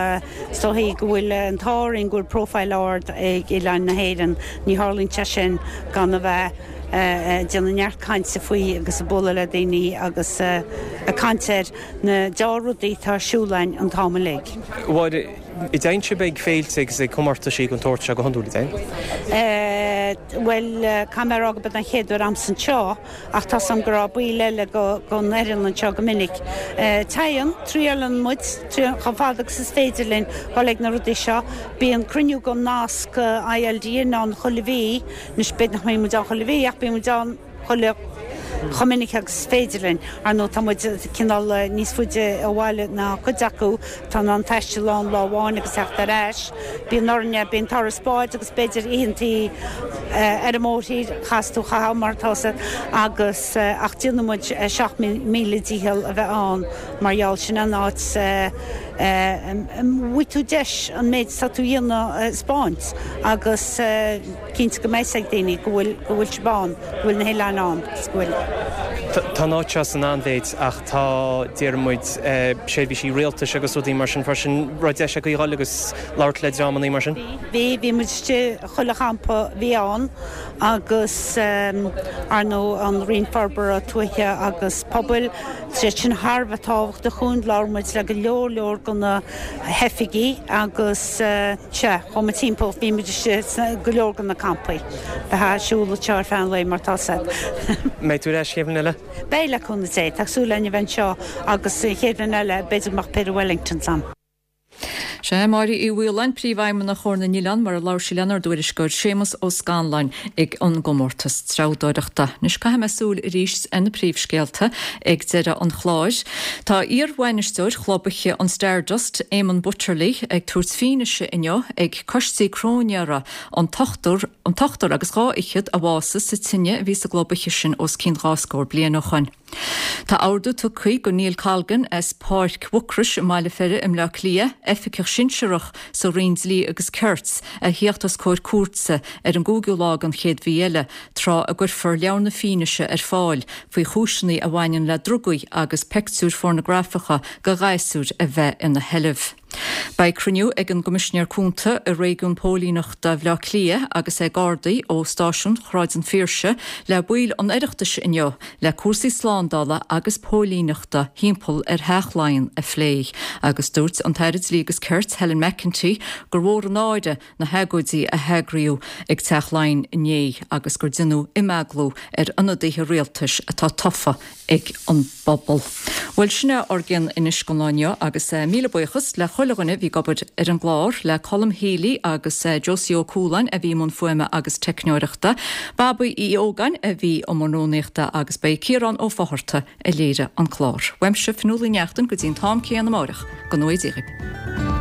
is dóichí go bhfuil an t-ádh orainn go bhfuil profile ard ag oileáin na hÉireann. Ní tharlaíonn sé sin gan a bheith ag déanamh neart cainte faoi agus ag bualadh le daoine agus ag caint ar na dea-rudaí atá ar siúl againn an t-am uilig. A Mháire, an dtéann sibh ag féilte agus ag comórtaisí den tsórt seo go hiondúil, an dtéann? Bhuel, caithfidh mé a rá gurb é an chéad uair a'msa anseo ach tá 's a'm go raibh baill eile gon fhoireann anseo go minic. Téann, triaileann muid chomh fada agus is féidir linn dhul ag na rudaí seo. Bíonn cruinniú gon nasc ILDN ann chuile mhí, anois b'fhéidir nach mbíonn muid ann chuile mhí ach bíonn muid ann chuile chomh minic agus is féidir linn. Ar ndóigh tá muid cineál níos faide ó bhaile ná cuid acu atá in ann taisteal ann lá amháin agus theacht ar ais. Bíonn orainne, bíonn turas báid agus b'fhéidir oícheantaí ar an mórthír, chaithfeas tú a chaitheamh mar atá sé agus ach déanann muid seacht míle dícheall a bheith ann mar gheall sin an áit a bhfaighidh tú deis an méid atá tú a dhéanamh a 'speáint agus cinnte go mbeidh 's ag daoine go bhfuil go bhfuil sibh ann, go bhfuil na hoileáin ann agus go bhfuil. Tá an áit seo san an-mhéid ach tá, déarfaidh muid, seirbhísí rialtais agus rudaí mar sin freisin. Raibh deis agaibh dhul agus labhairt le dreamannaí mar sin? Bhí, bhí muid istigh chuile champa a bhí ann agus ar ndóigh an Roinn Forbartha Tuaithe agus Pobail, tá siad sin thar a bheith tábhachtach dhúinn, labhair muid le go leor leor de na hoifigigh agus sea, chuaigh muid timpeall, bhí muid istigh sna go leor de na campaí. Bheifeá ag siúl anseo ar feadh an lae mar tá 's a'd. Mbeidh tú ar ais chéad bhliain eile? Beidh, le cúnamh Dé. Tá súil againn a bheith anseo agus an chéad bhliain eile b'fhéidir go mbeadh péire Wellingtons a'm. Sea, Máire Uí Mhaoláin, Príomhfheidhmeannach Chomhar na nOileán, mar a labhair sí lenár dtuairisceoir Séamus Ó Scanláin ag an gcomórtas treabhdóireachta. Anois caithfidh mé súil arís ar na príomhscéalta ag deireadh an chláir. Tá iar-bhainisteoir chlub oíche an Stardust, Éamonn Butterly, ag tabhairt fianaise inniu ag coistí cróinéara an t-ochtar an t-ochtar agus dhá fhichead a bhásaigh sa tine a bhí sa gclub oíche sin os cionn dhá scór bliain ó shoin. Tá ordú tugtha do Neil Colgan as Páirc Mhucrois i mBaile Pheire i mBleá Cliath, oifigeach sinsearach sa Roinn Dlí agus Cirt a theacht os comhair cúirte ar an gcúigiú lá den chéad mhí eile, tráth a gcuirfear leabhar na fianaise ar fáil faoi chúiseanna a bhaineann le drugaí agus pictiúir phornagrafacha de ghasúir a bheith ina sheilbh. Beidh cruinniú ag an gCoimisinéir Cúnta i Réigiún Póilíneachta Bhaile Átha Cliath agus ag Gardaí ó Stáisiún Shráid an Phiarsaigh le baill an Oireachtais inniu le cúrsaí slándála agus póilíneachta thimpeall ar Theach Laighean a phlé agus dúirt an tAire Dlí agus Cirt Helen McEntee gur mhór an náire na hagóidí a heagraíodh ag Teach Laighean inné agus gur deineadh imeaglú ar ionadaithe rialtais atá tofa ag an bpobal. Bhuel, sin é ár gcionn anois don lá inniu agus míle buíochas le chuile dhuine a bhí ag obair ar an gclár, le Colm Healy agus Josie Ó Cualáin a bhí i mbun fuaime agus teicneoireachta, Babaí Uí Ógáin a bhí i mbun rúnaíochta agus ba é Ciarán Ó Fátharta a léirigh an clár. Uaimse, Fionnuala Ní Neachtain, go dtí an t-am céanna amáireach, go ngnóthaí Dia dhaoibh.